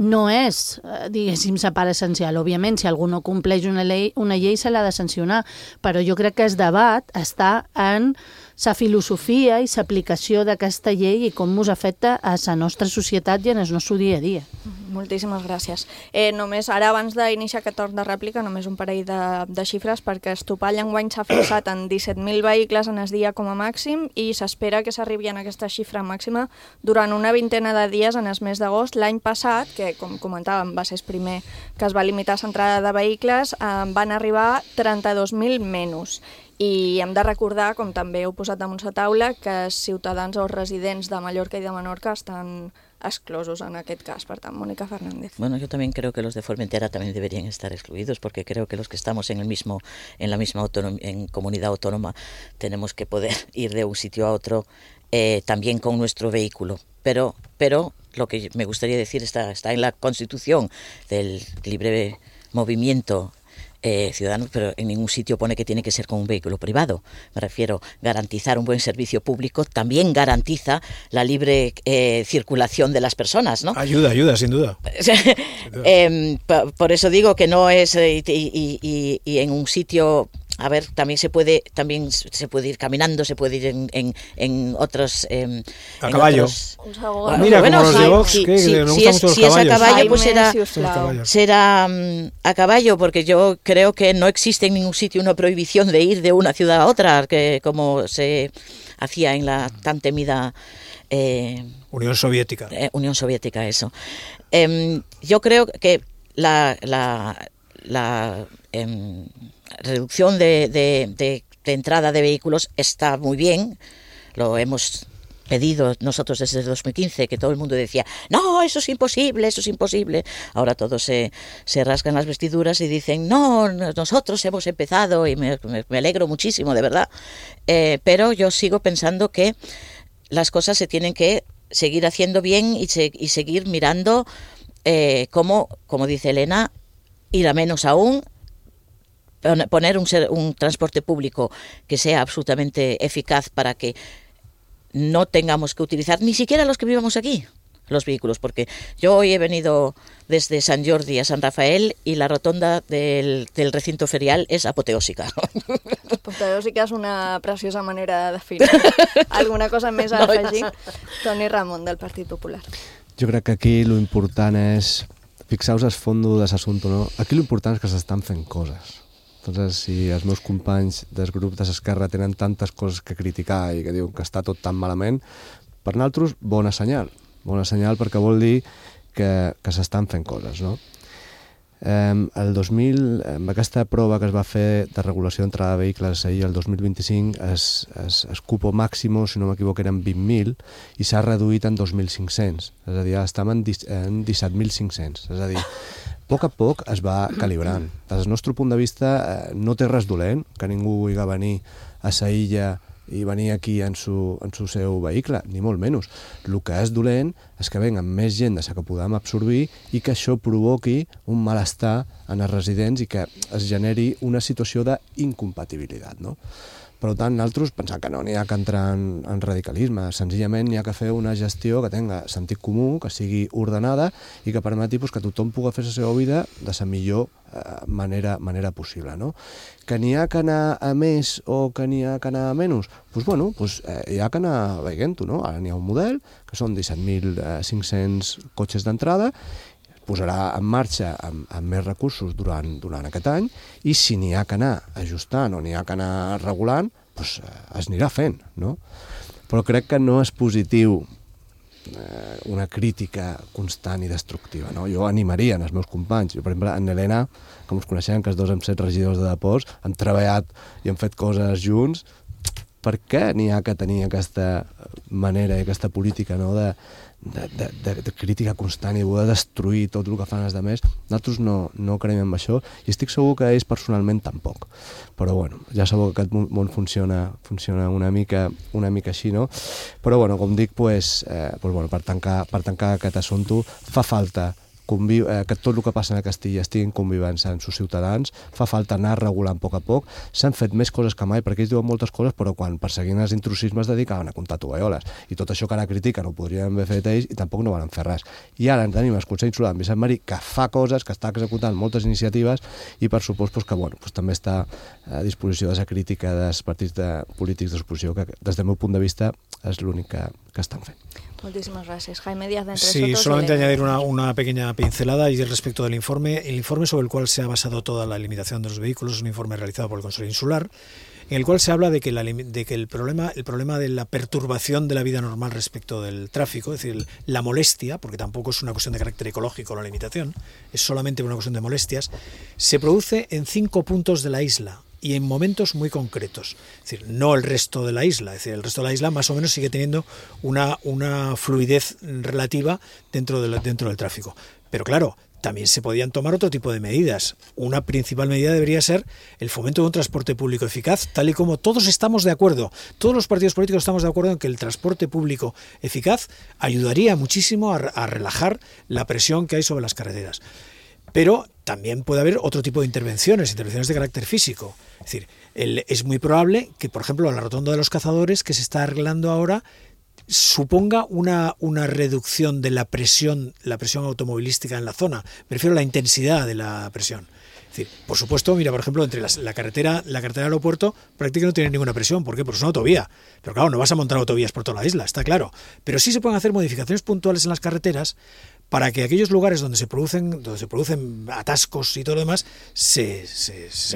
no és, diguéssim, la part essencial. Òbviament, si algú no compleix una llei se l'ha de sancionar, però jo crec que el debat està en la filosofia i l'aplicació d'aquesta llei i com ens afecta a la nostra societat i en el nostre dia a dia. Moltíssimes gràcies. Només ara, abans d'iniciar aquest torn de rèplica, només un parell de xifres, perquè el topall enguany s'ha fixat en 17.000 vehicles en el dia com a màxim i s'espera que s'arribi a aquesta xifra màxima durant una vintena de dies en el mes d'agost. L'any passat, que com comentàvem va ser el primer que es va limitar l'entrada de vehicles, van arribar 32.000 menys. I hem de recordar, com també heu posat damunt la taula, que els ciutadans o residents de Mallorca i de Menorca estan exclosos en aquest cas. Per tant, Mónica Fernández. Bueno, yo también creo que los de Formentera también deberían estar excluidos, porque creo que los que estamos en la misma comunidad autónoma tenemos que poder ir de un sitio a otro también con nuestro vehículo. Pero lo que me gustaría decir está en la Constitución del libre movimiento ciudadanos, pero en ningún sitio pone que tiene que ser con un vehículo privado. Me refiero, garantizar un buen servicio público también garantiza la libre circulación de las personas, ¿no? Ayuda, sin duda. Por eso digo que no es y en un sitio. A ver, también se puede ir caminando, se puede ir en otros... a caballo. Mira, bueno, como los de Vox, si es a caballo, pues será a caballo, porque yo creo que no existe en ningún sitio una prohibición de ir de una ciudad a otra, que como se hacía en la tan temida... Unión Soviética. Unión Soviética, eso. Yo creo que la reducción de entrada de vehículos está muy bien, lo hemos pedido nosotros desde el 2015, que todo el mundo decía, no, eso es imposible. Ahora todos se rasgan las vestiduras y dicen, no, nosotros hemos empezado, y me alegro muchísimo, de verdad, pero yo sigo pensando que las cosas se tienen que seguir haciendo bien y seguir mirando como dice Elena, ir a menos aún, poner un transporte público que sea absolutamente eficaz para que no tengamos que utilizar, ni siquiera los que vivamos aquí, los vehículos, porque yo hoy he venido desde Sant Jordi a Sant Rafael y la rotonda del recinto ferial és apoteòsica. Apoteòsica és una preciosa manera de definir. Alguna cosa més a afegir? Toni Ramon, del Partit Popular. Jo crec que aquí l'important és, fixeu-vos el fondo de l'assumpte, no? Aquí l'important és que s'estan fent coses. Entonces, si els meus companys del grup de l'Esquerra tenen tantes coses que criticar i que diuen que està tot tan malament, per nosaltres, bona senyal perquè vol dir que s'estan fent coses, no? El 2000, amb aquesta prova que es va fer de regulació d'entrada de vehicles ahir, el 2025, es cupo màximo, si no m'equivoco, eren 20.000 i s'ha reduït en 2.500. És a dir, estem en 17.500. És a dir, a poc es va calibrant. Des del nostre punt de vista no té res dolent que ningú vulgui venir a sa illa i venir aquí en su seu vehicle, ni molt menys. El que és dolent és que venguen més gent de la que podem absorbir i que això provoqui un malestar en els residents i que es generi una situació d'incompatibilitat, no? Per tant, nosaltres pensem que no n'hi ha que entrar en radicalisme, senzillament n'hi ha que fer una gestió que tenga sentit comú, que sigui ordenada i que permeti que tothom pugui fer la seva vida de la millor manera possible, no? Que n'hi ha que anar a més o que n'hi ha que anar a menys? Doncs hi ha que anar veient-ho, no? Ara n'hi ha un model, que són 17.500 cotxes d'entrada, posarà en marxa amb més recursos durant aquest any i si n'hi ha que anar ajustant o n'hi ha que anar regulant, doncs es anirà fent, no? Però crec que no és positiu una crítica constant i destructiva, no? Jo animaria els meus companys. Jo, per exemple, en Helena, com us coneixem, que els dos hem set regidors de Deports, hem treballat i hem fet coses junts. Per què n'hi ha que tenir aquesta manera i aquesta política, no?, de crítica constant i de destruir tot el que fan els altres? Nosaltres no creiem en això i estic segur que ells personalment tampoc. Però bueno, ja sabeu que aquest món funciona una mica així, no? Però bueno, com dic, per tancar aquest assumpte, fa falta que tot el que passa a Castilla estigui en convivència amb els ciutadans, fa falta anar regulant a poc. S'han fet més coses que mai, perquè ells diuen moltes coses, però quan perseguint els intrusismes es dedicaven a comptar tovalloles. I tot això que ara critiquen ho podrien haver fet ells i tampoc no van fer res. I ara tenim el Consell Insular d'en Vicent Marí, que fa coses, que està executant moltes iniciatives i per supost que també està a disposició de la crítica dels partits polítics d'oposició, que des del meu punt de vista és l'únic que estan fent. Muchísimas gracias. Jaime Díaz de Entre Sí, Sotos, solamente añadir una pequeña pincelada y respecto del informe. El informe sobre el cual se ha basado toda la limitación de los vehículos es un informe realizado por el Consejo Insular, en el cual se habla de que el problema de la perturbación de la vida normal respecto del tráfico, es decir, la molestia, porque tampoco es una cuestión de carácter ecológico la limitación, es solamente una cuestión de molestias, se produce en 5 puntos de la isla y en momentos muy concretos. Es decir, no el resto de la isla. Es decir, el resto de la isla más o menos sigue teniendo una fluidez relativa dentro del tráfico. Pero claro, también se podían tomar otro tipo de medidas. Una principal medida debería ser el fomento de un transporte público eficaz, tal y como todos estamos de acuerdo. Todos los partidos políticos estamos de acuerdo en que el transporte público eficaz ayudaría muchísimo a relajar la presión que hay sobre las carreteras. Pero también puede haber otro tipo de intervenciones de carácter físico. Es decir, es muy probable que, por ejemplo, la rotonda de los cazadores, que se está arreglando ahora, suponga una reducción de la presión automovilística en la zona. Me refiero a la intensidad de la presión. Es decir, por supuesto, mira, por ejemplo, entre la carretera del aeropuerto prácticamente no tiene ninguna presión. ¿Por qué? Porque es una autovía. Pero claro, no vas a montar autovías por toda la isla, está claro. Pero sí se pueden hacer modificaciones puntuales en las carreteras para que aquellos lugares donde se producen atascos y todo lo demás se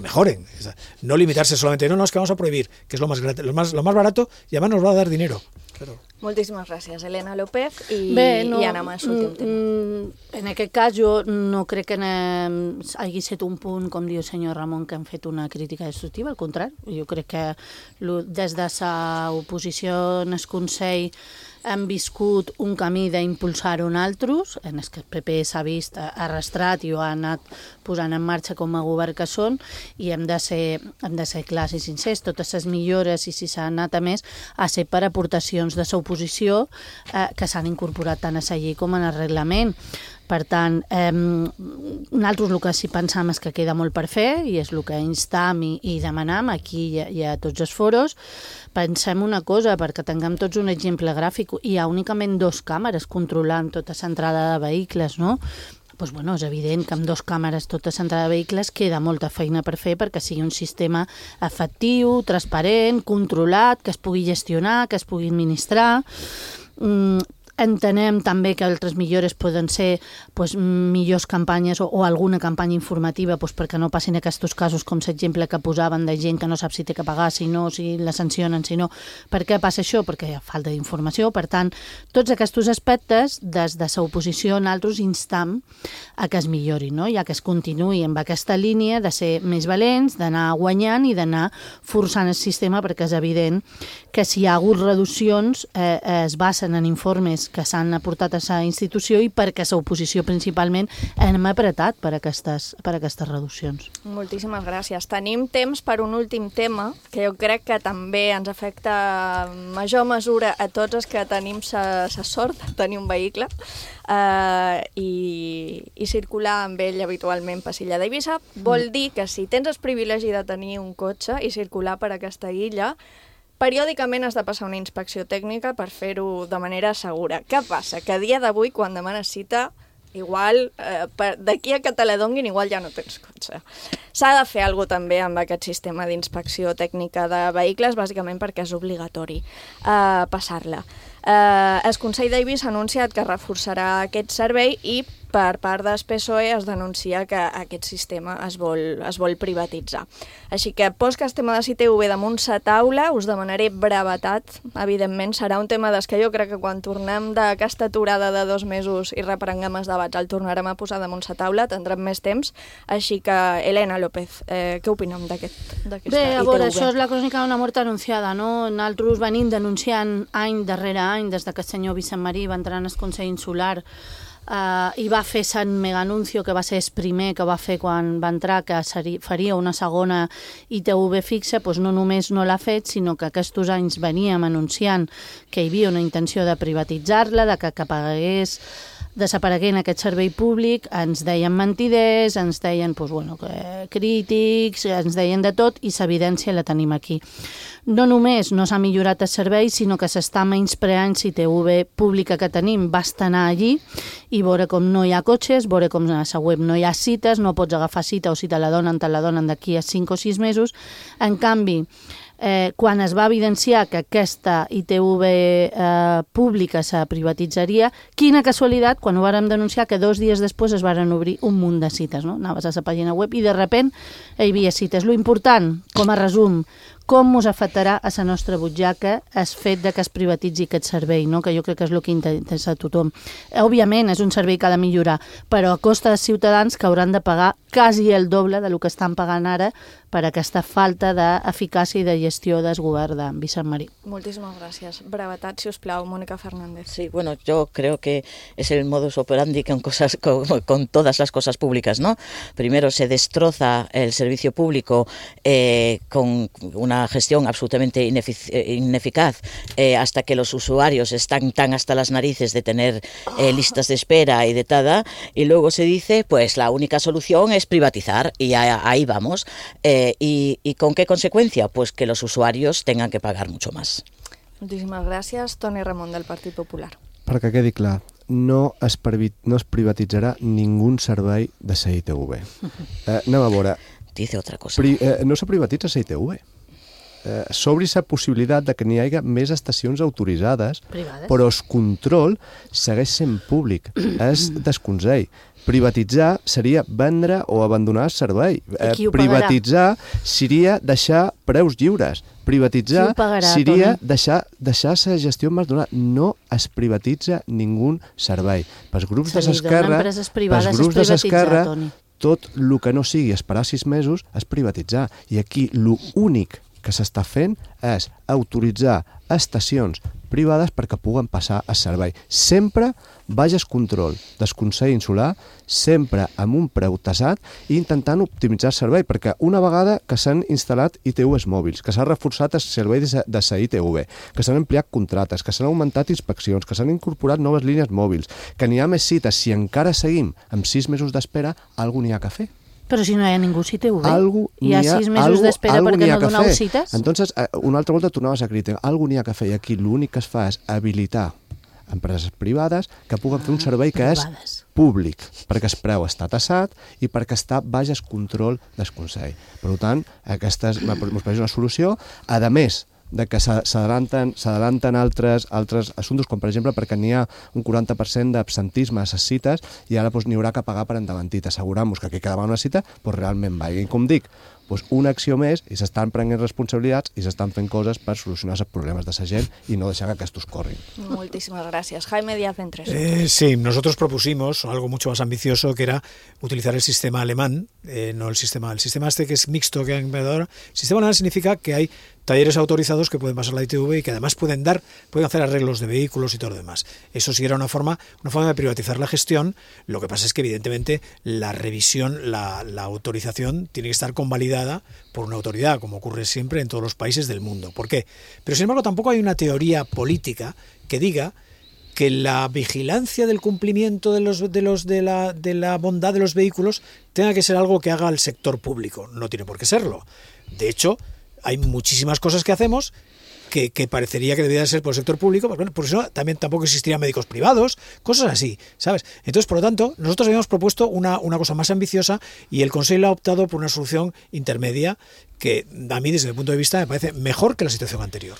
mejoren. O sea, no limitarse solamente, no, es que vamos a prohibir, que es lo más barato y además nos va a dar dinero. Claro. Moltíssimes gràcies, Helena López i Anna Mas, últim tema. En aquest cas jo no crec que hagi estat un punt, com diu el senyor Ramon, que han fet una crítica destructiva, al contrari. Jo crec que des de la oposició en el Consell hem viscut un camí d'impulsar-ho en altres, en el que el PP s'ha vist arrastrat i ho ha anat posant en marxa com a govern que són, i hem de ser clars i sincers. Totes les millores, i si s'ha anat a més, ha ser per aportacions de l'oposició que s'han incorporat tant a la llei com en el reglament. Per tant, nosaltres el que sí pensam és que queda molt per fer i és el que instam i demanam aquí i a tots els foros. Pensem una cosa, perquè tinguem tots un exemple gràfic. Hi ha únicament 2 càmeres controlant tota l'entrada de vehicles, no? Doncs, bueno, és evident que amb 2 càmeres tota l'entrada de vehicles queda molta feina per fer perquè sigui un sistema efectiu, transparent, controlat, que es pugui gestionar, que es pugui administrar. Entenem també que altres millores poden ser millors campanyes o alguna campanya informativa perquè no passin aquests casos com l'exemple que posaven de gent que no sap si té que pagar, si no, si la sancionen, si no. Per què passa això? Perquè hi ha falta d'informació. Per tant, tots aquests aspectes, des de l'oposició, nosaltres instam a que es millori, no? I a que es continuï amb aquesta línia de ser més valents, d'anar guanyant i d'anar forçant el sistema, perquè és evident que si hi ha hagut reduccions es basen en informes que s'han aportat a la institució i perquè l'oposició principalment hem apretat per aquestes reduccions. Moltíssimes gràcies. Tenim temps per un últim tema que jo crec que també ens afecta en major mesura a tots els que tenim la sort de tenir un vehicle i circular amb ell habitualment per l'illa d'Eivissa. Vol dir que si tens el privilegi de tenir un cotxe i circular per aquesta illa, periòdicament has de passar una inspecció tècnica per fer-ho de manera segura. Què passa? Que a dia d'avui, quan demanes cita, igual d'aquí a que te la donguin, igual ja no tens cotxe. S'ha de fer alguna cosa també amb aquest sistema d'inspecció tècnica de vehicles, bàsicament perquè és obligatori passar-la. El Consell d'Eivissa ha anunciat que reforçarà aquest servei i per part del PSOE es denuncia que aquest sistema es vol privatitzar. Així que, pos que el tema de CITV damunt la taula, us demanaré brevetat. Evidentment, serà un tema que jo crec que quan tornem d'aquesta aturada de 2 mesos i reprenguem els debats, el tornarem a posar damunt la taula, tindrem més temps. Així que, Helena López, què opinem d'aquesta ITV? Bé, a veure, això és la crònica d'una mort anunciada, no? Nosaltres venim denunciant any darrere any, des que el senyor Vicent Marí va entrar en el Consell Insular i va fer Sant Meganuncio, que va ser el primer que va fer quan va entrar, que faria una segona ITV fixa, doncs no només no l'ha fet, sinó que aquests anys veníem anunciant que hi havia una intenció de privatitzar-la, de que pagués desapareguent aquest servei públic, ens deien mentiders, ens deien crítics, ens deien de tot i l'evidència la tenim aquí. No només no s'ha millorat el servei, sinó que s'està menyspreant la ITV pública que tenim. Basta anar allí i veure com no hi ha cotxes, veure com a la web no hi ha cites, no pots agafar cita o si te la donen d'aquí a 5 o 6 mesos. En canvi, quan es va evidenciar que aquesta ITV pública se privatitzaria, quina casualitat, quan ho vàrem denunciar, que 2 dies després es varen obrir un munt de cites, no? Anaves a la pàgina web i de sobte hi havia cites. Lo important, com a resum, com us afectarà a la nostra butxaca el fet que es privatitzi aquest servei, no? Que jo crec que és el que interessa a tothom. Òbviament, és un servei que ha de millorar, però a costa dels ciutadans que hauran de pagar quasi el doble del que estan pagant ara per aquesta falta d'eficàcia i de gestió del govern de Vicent Marí. Moltíssimas gràcies. Brevetat, si us plau, Mónica Fernández. Sí, bueno, yo creo que es el modus operandi con todas las cosas públicas, ¿no? Primero se destroza el servicio público con una gestión absolutamente ineficaz hasta que los usuarios están tan hasta las narices de tener listas de espera y de tada, y luego se dice, pues la única solución es privatizar, y ahí vamos. ¿Y con qué consecuencia? Pues que los usuarios tengan que pagar mucho más. Moltíssimes gràcies. Toni Ramon, del Partit Popular. Perquè quedi clar, no es privatitzarà ningú servei de la ITV. Anem a veure. Dice otra cosa. No se privatitza la ITV. S'obri la possibilitat de que n'hi hagi més estacions autoritzades, privades, però el control segueix sent públic. És desconsell. Privatitzar seria vendre o abandonar el servei. Privatitzar seria deixar preus lliures. Privatitzar seria deixar la gestió en mans d'una. No es privatitza ningú servei. Pels grups de l'esquerra, tot el que no sigui esperar 6 mesos és privatitzar. I aquí l'únic que s'està fent és autoritzar estacions privades perquè puguen passar el servei. Sempre baix control del Consell Insular, sempre amb un preu tasat i intentant optimitzar el servei, perquè una vegada que s'han instal·lat ITVs mòbils, que s'ha reforçat el servei de la ITV, que s'han ampliat contractes, que s'han augmentat inspeccions, que s'han incorporat noves línies mòbils, que n'hi ha més cites, si encara seguim amb 6 mesos d'espera, alguna n'hi ha que fer. Però si no hi ha ningú CITV, hi ha 6 mesos d'espera perquè no doneu cites. Entonces, una altra volta tornaves a crítica. Algú n'hi ha que fer, i aquí l'únic que es fa és habilitar empreses privades que puguen fer un servei que és públic, perquè el preu està tassat i perquè està baix el control del Consell. Per tant, aquesta ens pareix una solució. A més, que s'adelanten altres assumptes, com per exemple perquè n'hi ha un 40% d'absentisme a les cites i ara n'hi haurà que pagar per endavantit. Assegurem-nos que qui quedava una cita realment va. I com dic, una acció més i s'estan prenent responsabilitats i s'estan fent coses per solucionar els problemes de la gent y no deixar que aquestos corrin. Muchísimas gracias. Jaime Díaz Ventres. Sí, nosotros propusimos algo mucho más ambicioso, que era utilizar el sistema alemán, no el sistema este que es mixto que han inventado ahora. El sistema alemán significa que hay talleres autorizados que pueden pasar la ITV y que además pueden hacer arreglos de vehículos y todo lo demás. Eso sí era una forma de privatizar la gestión. Lo que pasa es que evidentemente la revisión, la autorización tiene que estar convalidada por una autoridad, como ocurre siempre en todos los países del mundo. ¿Por qué? Pero sin embargo tampoco hay una teoría política que diga que la vigilancia del cumplimiento de la bondad de los vehículos tenga que ser algo que haga el sector público. No tiene por qué serlo. De hecho, hay muchísimas cosas que hacemos que parecería que debería ser por el sector público, pues bueno, por eso también tampoco existirían médicos privados, cosas así, ¿sabes? Entonces, por lo tanto, nosotros habíamos propuesto una cosa más ambiciosa y el Consejo ha optado por una solución intermedia que a mí, desde mi punto de vista, me parece mejor que la situación anterior.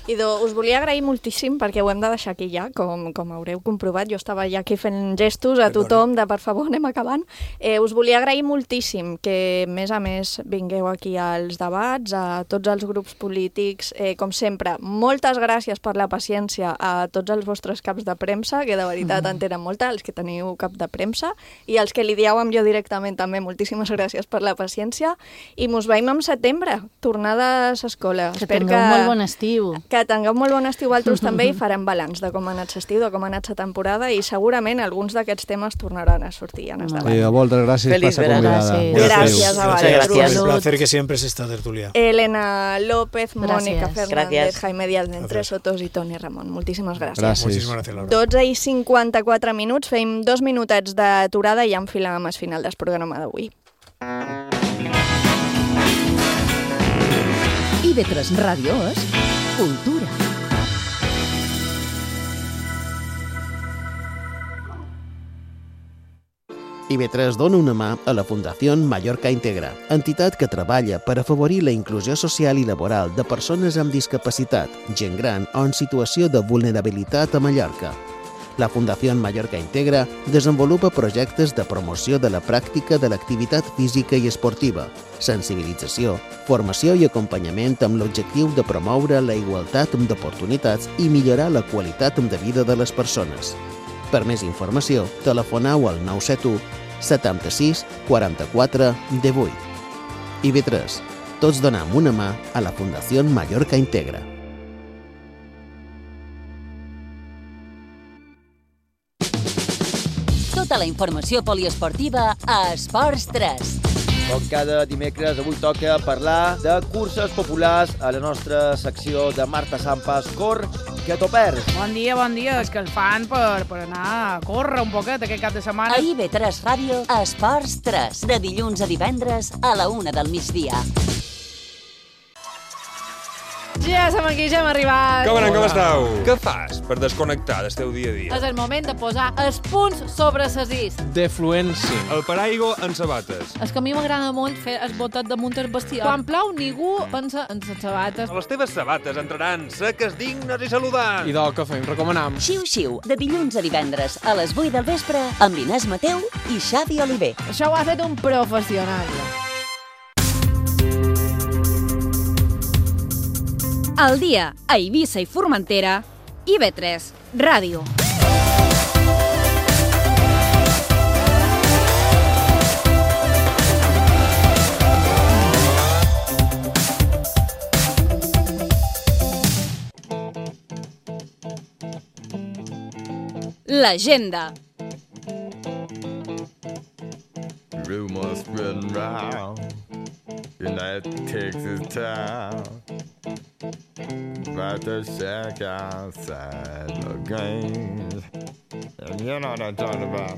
Idò, us volia agrair moltíssim perquè ho hem de deixar aquí ja, com haureu comprovat. Jo estava ja aquí fent gestos a tothom de per favor anem acabant. Us volia agrair moltíssim que més a més vingueu aquí als debats, a tots els grups polítics. Com sempre, moltes gràcies per la paciència a tots els vostres caps de premsa, que de veritat en tenen molta, els que teniu cap de premsa, i els que li dieu amb jo directament també, moltíssimes gràcies per la paciència, i mos veiem en setembre, tornada a l'escola. Que tingueu molt bon estiu. Que tingueu molt bon estiu altres també i farem balanç de com ha anat l'estiu, de com ha anat la temporada i segurament alguns d'aquests temes tornaran a sortir en el debat. A moltes gràcies per ser convidada. Gràcies a vosaltres. Un placer que siempre es esta tertulia. Elena López, Mónica Fernández, Jaime Díaz Ventres, Sotos i Toni Ramon. Moltíssimes gràcies. Gràcies. 12:54 minuts, fem 2 minutets d'aturada i ja enfilem al final del programa d'avui. IB3 Ràdio és Cultura. IB3 dona una mà a la Fundació Mallorca Integra, entitat que treballa per afavorir la inclusió social i laboral de persones amb discapacitat, gent gran o en situació de vulnerabilitat a Mallorca. La Fundació Mallorca Integra desenvolupa projectes de promoció de la pràctica de l'activitat física i esportiva, sensibilització, formació i acompanyament amb l'objectiu de promoure la igualtat d'oportunitats i millorar la qualitat de vida de les persones. Per més informació, telefoneu al 971 76 44 18. IB3. Tots donem una mà a la Fundació Mallorca Integra. Tota la informació poliesportiva a Esports 3. Com cada dimecres, avui toca parlar de curses populars a la nostra secció de Marta Sampas. Cor, que t'ho perds. Bon dia, és que el fan per anar a córrer un poquet aquest cap de setmana. A IB3 Ràdio, Esports 3, de dilluns a divendres a la 1 del migdia. Ja som aquí, ja hem arribat. Com esteu? Què fas per desconnectar del teu dia a dia? És el moment de posar els punts sobre les is. Defluència. El paraigua en sabates. És que a mi m'agrada molt fer el botet damunt el bestiar. Quan plou, ningú pensa en les sabates. Les teves sabates entraran seques, dignes i saludants. I del que fem, recomanam. Xiu-xiu, de dilluns a divendres a les 8 del vespre amb Inés Mateu i Xavi Oliver. Això ho ha fet un professional. Al dia a Eivissa i Formentera, IB3 Ràdio. L'agenda. Rumors spreading round in that Texas town about the shack outside the games. And you know what I'm talking about.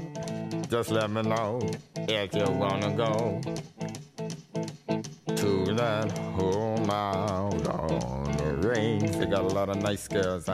Just let me know if you wanna go to that home out on the range. They got a lot of nice girls.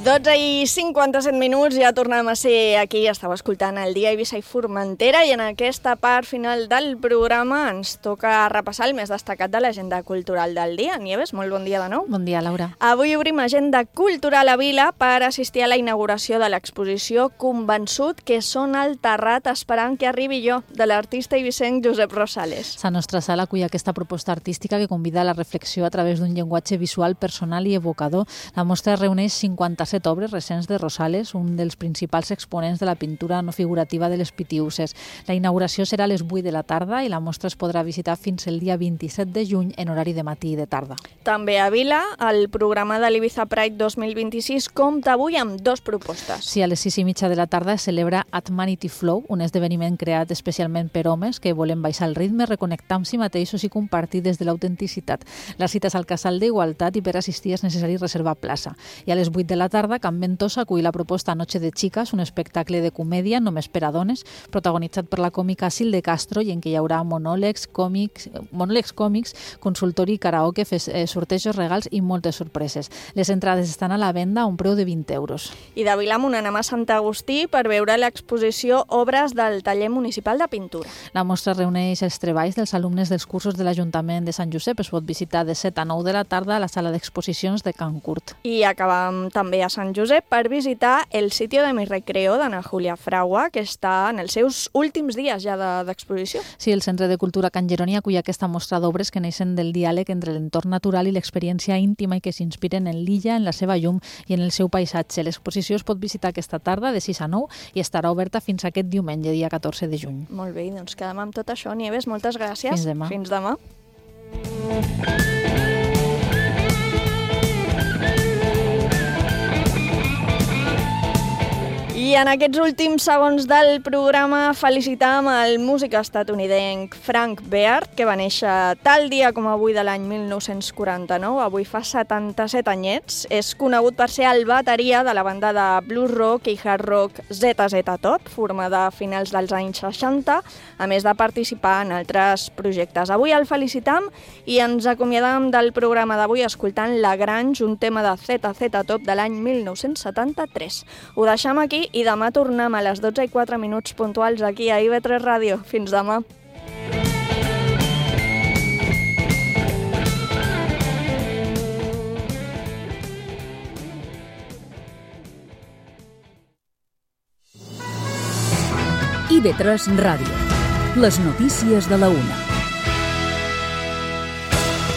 12:57, ja tornem a ser aquí, estàu escoltant el Dia Eivissa i Formentera i en aquesta part final del programa ens toca repassar el més destacat de l'agenda cultural del dia. Nieves, molt bon dia de nou. Bon dia, Laura. Avui obrim agenda cultural a Vila per assistir a la inauguració de l'exposició Convençut que són al Terrat esperant que arribi jo, de l'artista eivissenc Josep Rosales. La nostra sala acull aquesta proposta artística que convida a la reflexió a través d'un llenguatge visual personal i evocador. La mostra reuneix 57 obres recents de Rosales, un dels principals exponents de la pintura no figurativa de les Pitiüses. La inauguració serà a les 8 de la tarda i la mostra es podrà visitar fins el dia 27 de juny en horari de matí i de tarda. També a Vila, el programa de l'Ibiza Pride 2026 compta avui amb 2 propostes. Sí, a les 6:30 de la tarda es celebra Atmanity Flow, un esdeveniment creat especialment per homes que volen baixar el ritme, reconnectar amb si mateixos i compartir des de l'autenticitat. La cita és al Casal d'Igualtat i per assistir és necessari reservar plaça. I a les 8 de la tarda, Can Ventosa acull la proposta Noche de Chicas, un espectacle de comèdia només per a dones, protagonitzat per la còmica Sil de Castro i en què hi haurà monòlegs còmics, consultori, karaoke, sortejos, regals i moltes sorpreses. Les entrades estan a la venda a un preu de 20 euros. I de Vilamunt anem a Sant Agustí per veure l'exposició Obres del Taller Municipal de Pintura. La mostra reuneix els treballs dels alumnes dels cursos de l'Ajuntament de Sant Josep. Es pot visitar de 7 a 9 de la tarda a la sala d'exposicions de Can Curt. I acabam també a Sant Josep per visitar el sitio de mi recreo d'Ana Julia Fragua, que està en els seus últims dies ja d'exposició. Sí, el Centre de Cultura Can Jeroni acull aquesta mostra d'obres que neixen del diàleg entre l'entorn natural i l'experiència íntima i que s'inspiren en l'illa, en la seva llum i en el seu paisatge. L'exposició es pot visitar aquesta tarda de 6 a 9 i estarà oberta fins aquest diumenge, dia 14 de juny. Molt bé, doncs quedem amb tot això. Nieves, moltes gràcies. Fins demà. Fins demà. I en aquests últims segons del programa felicitam el músic estatunidenc Frank Beard, que va néixer tal dia com avui de l'any 1949, avui fa 77 anyets. És conegut per ser el bateria de la banda de blues rock i hard rock ZZ Top, formada a finals dels anys 60, a més de participar en altres projectes. Avui el felicitam i ens acomiadam del programa d'avui escoltant La Grange, un tema de ZZ Top de l'any 1973. Ho deixam aquí i demà tornem a les 12:04 puntuals aquí a IB3 Ràdio. Fins demà. IB3 Ràdio. Les notícies de la 1.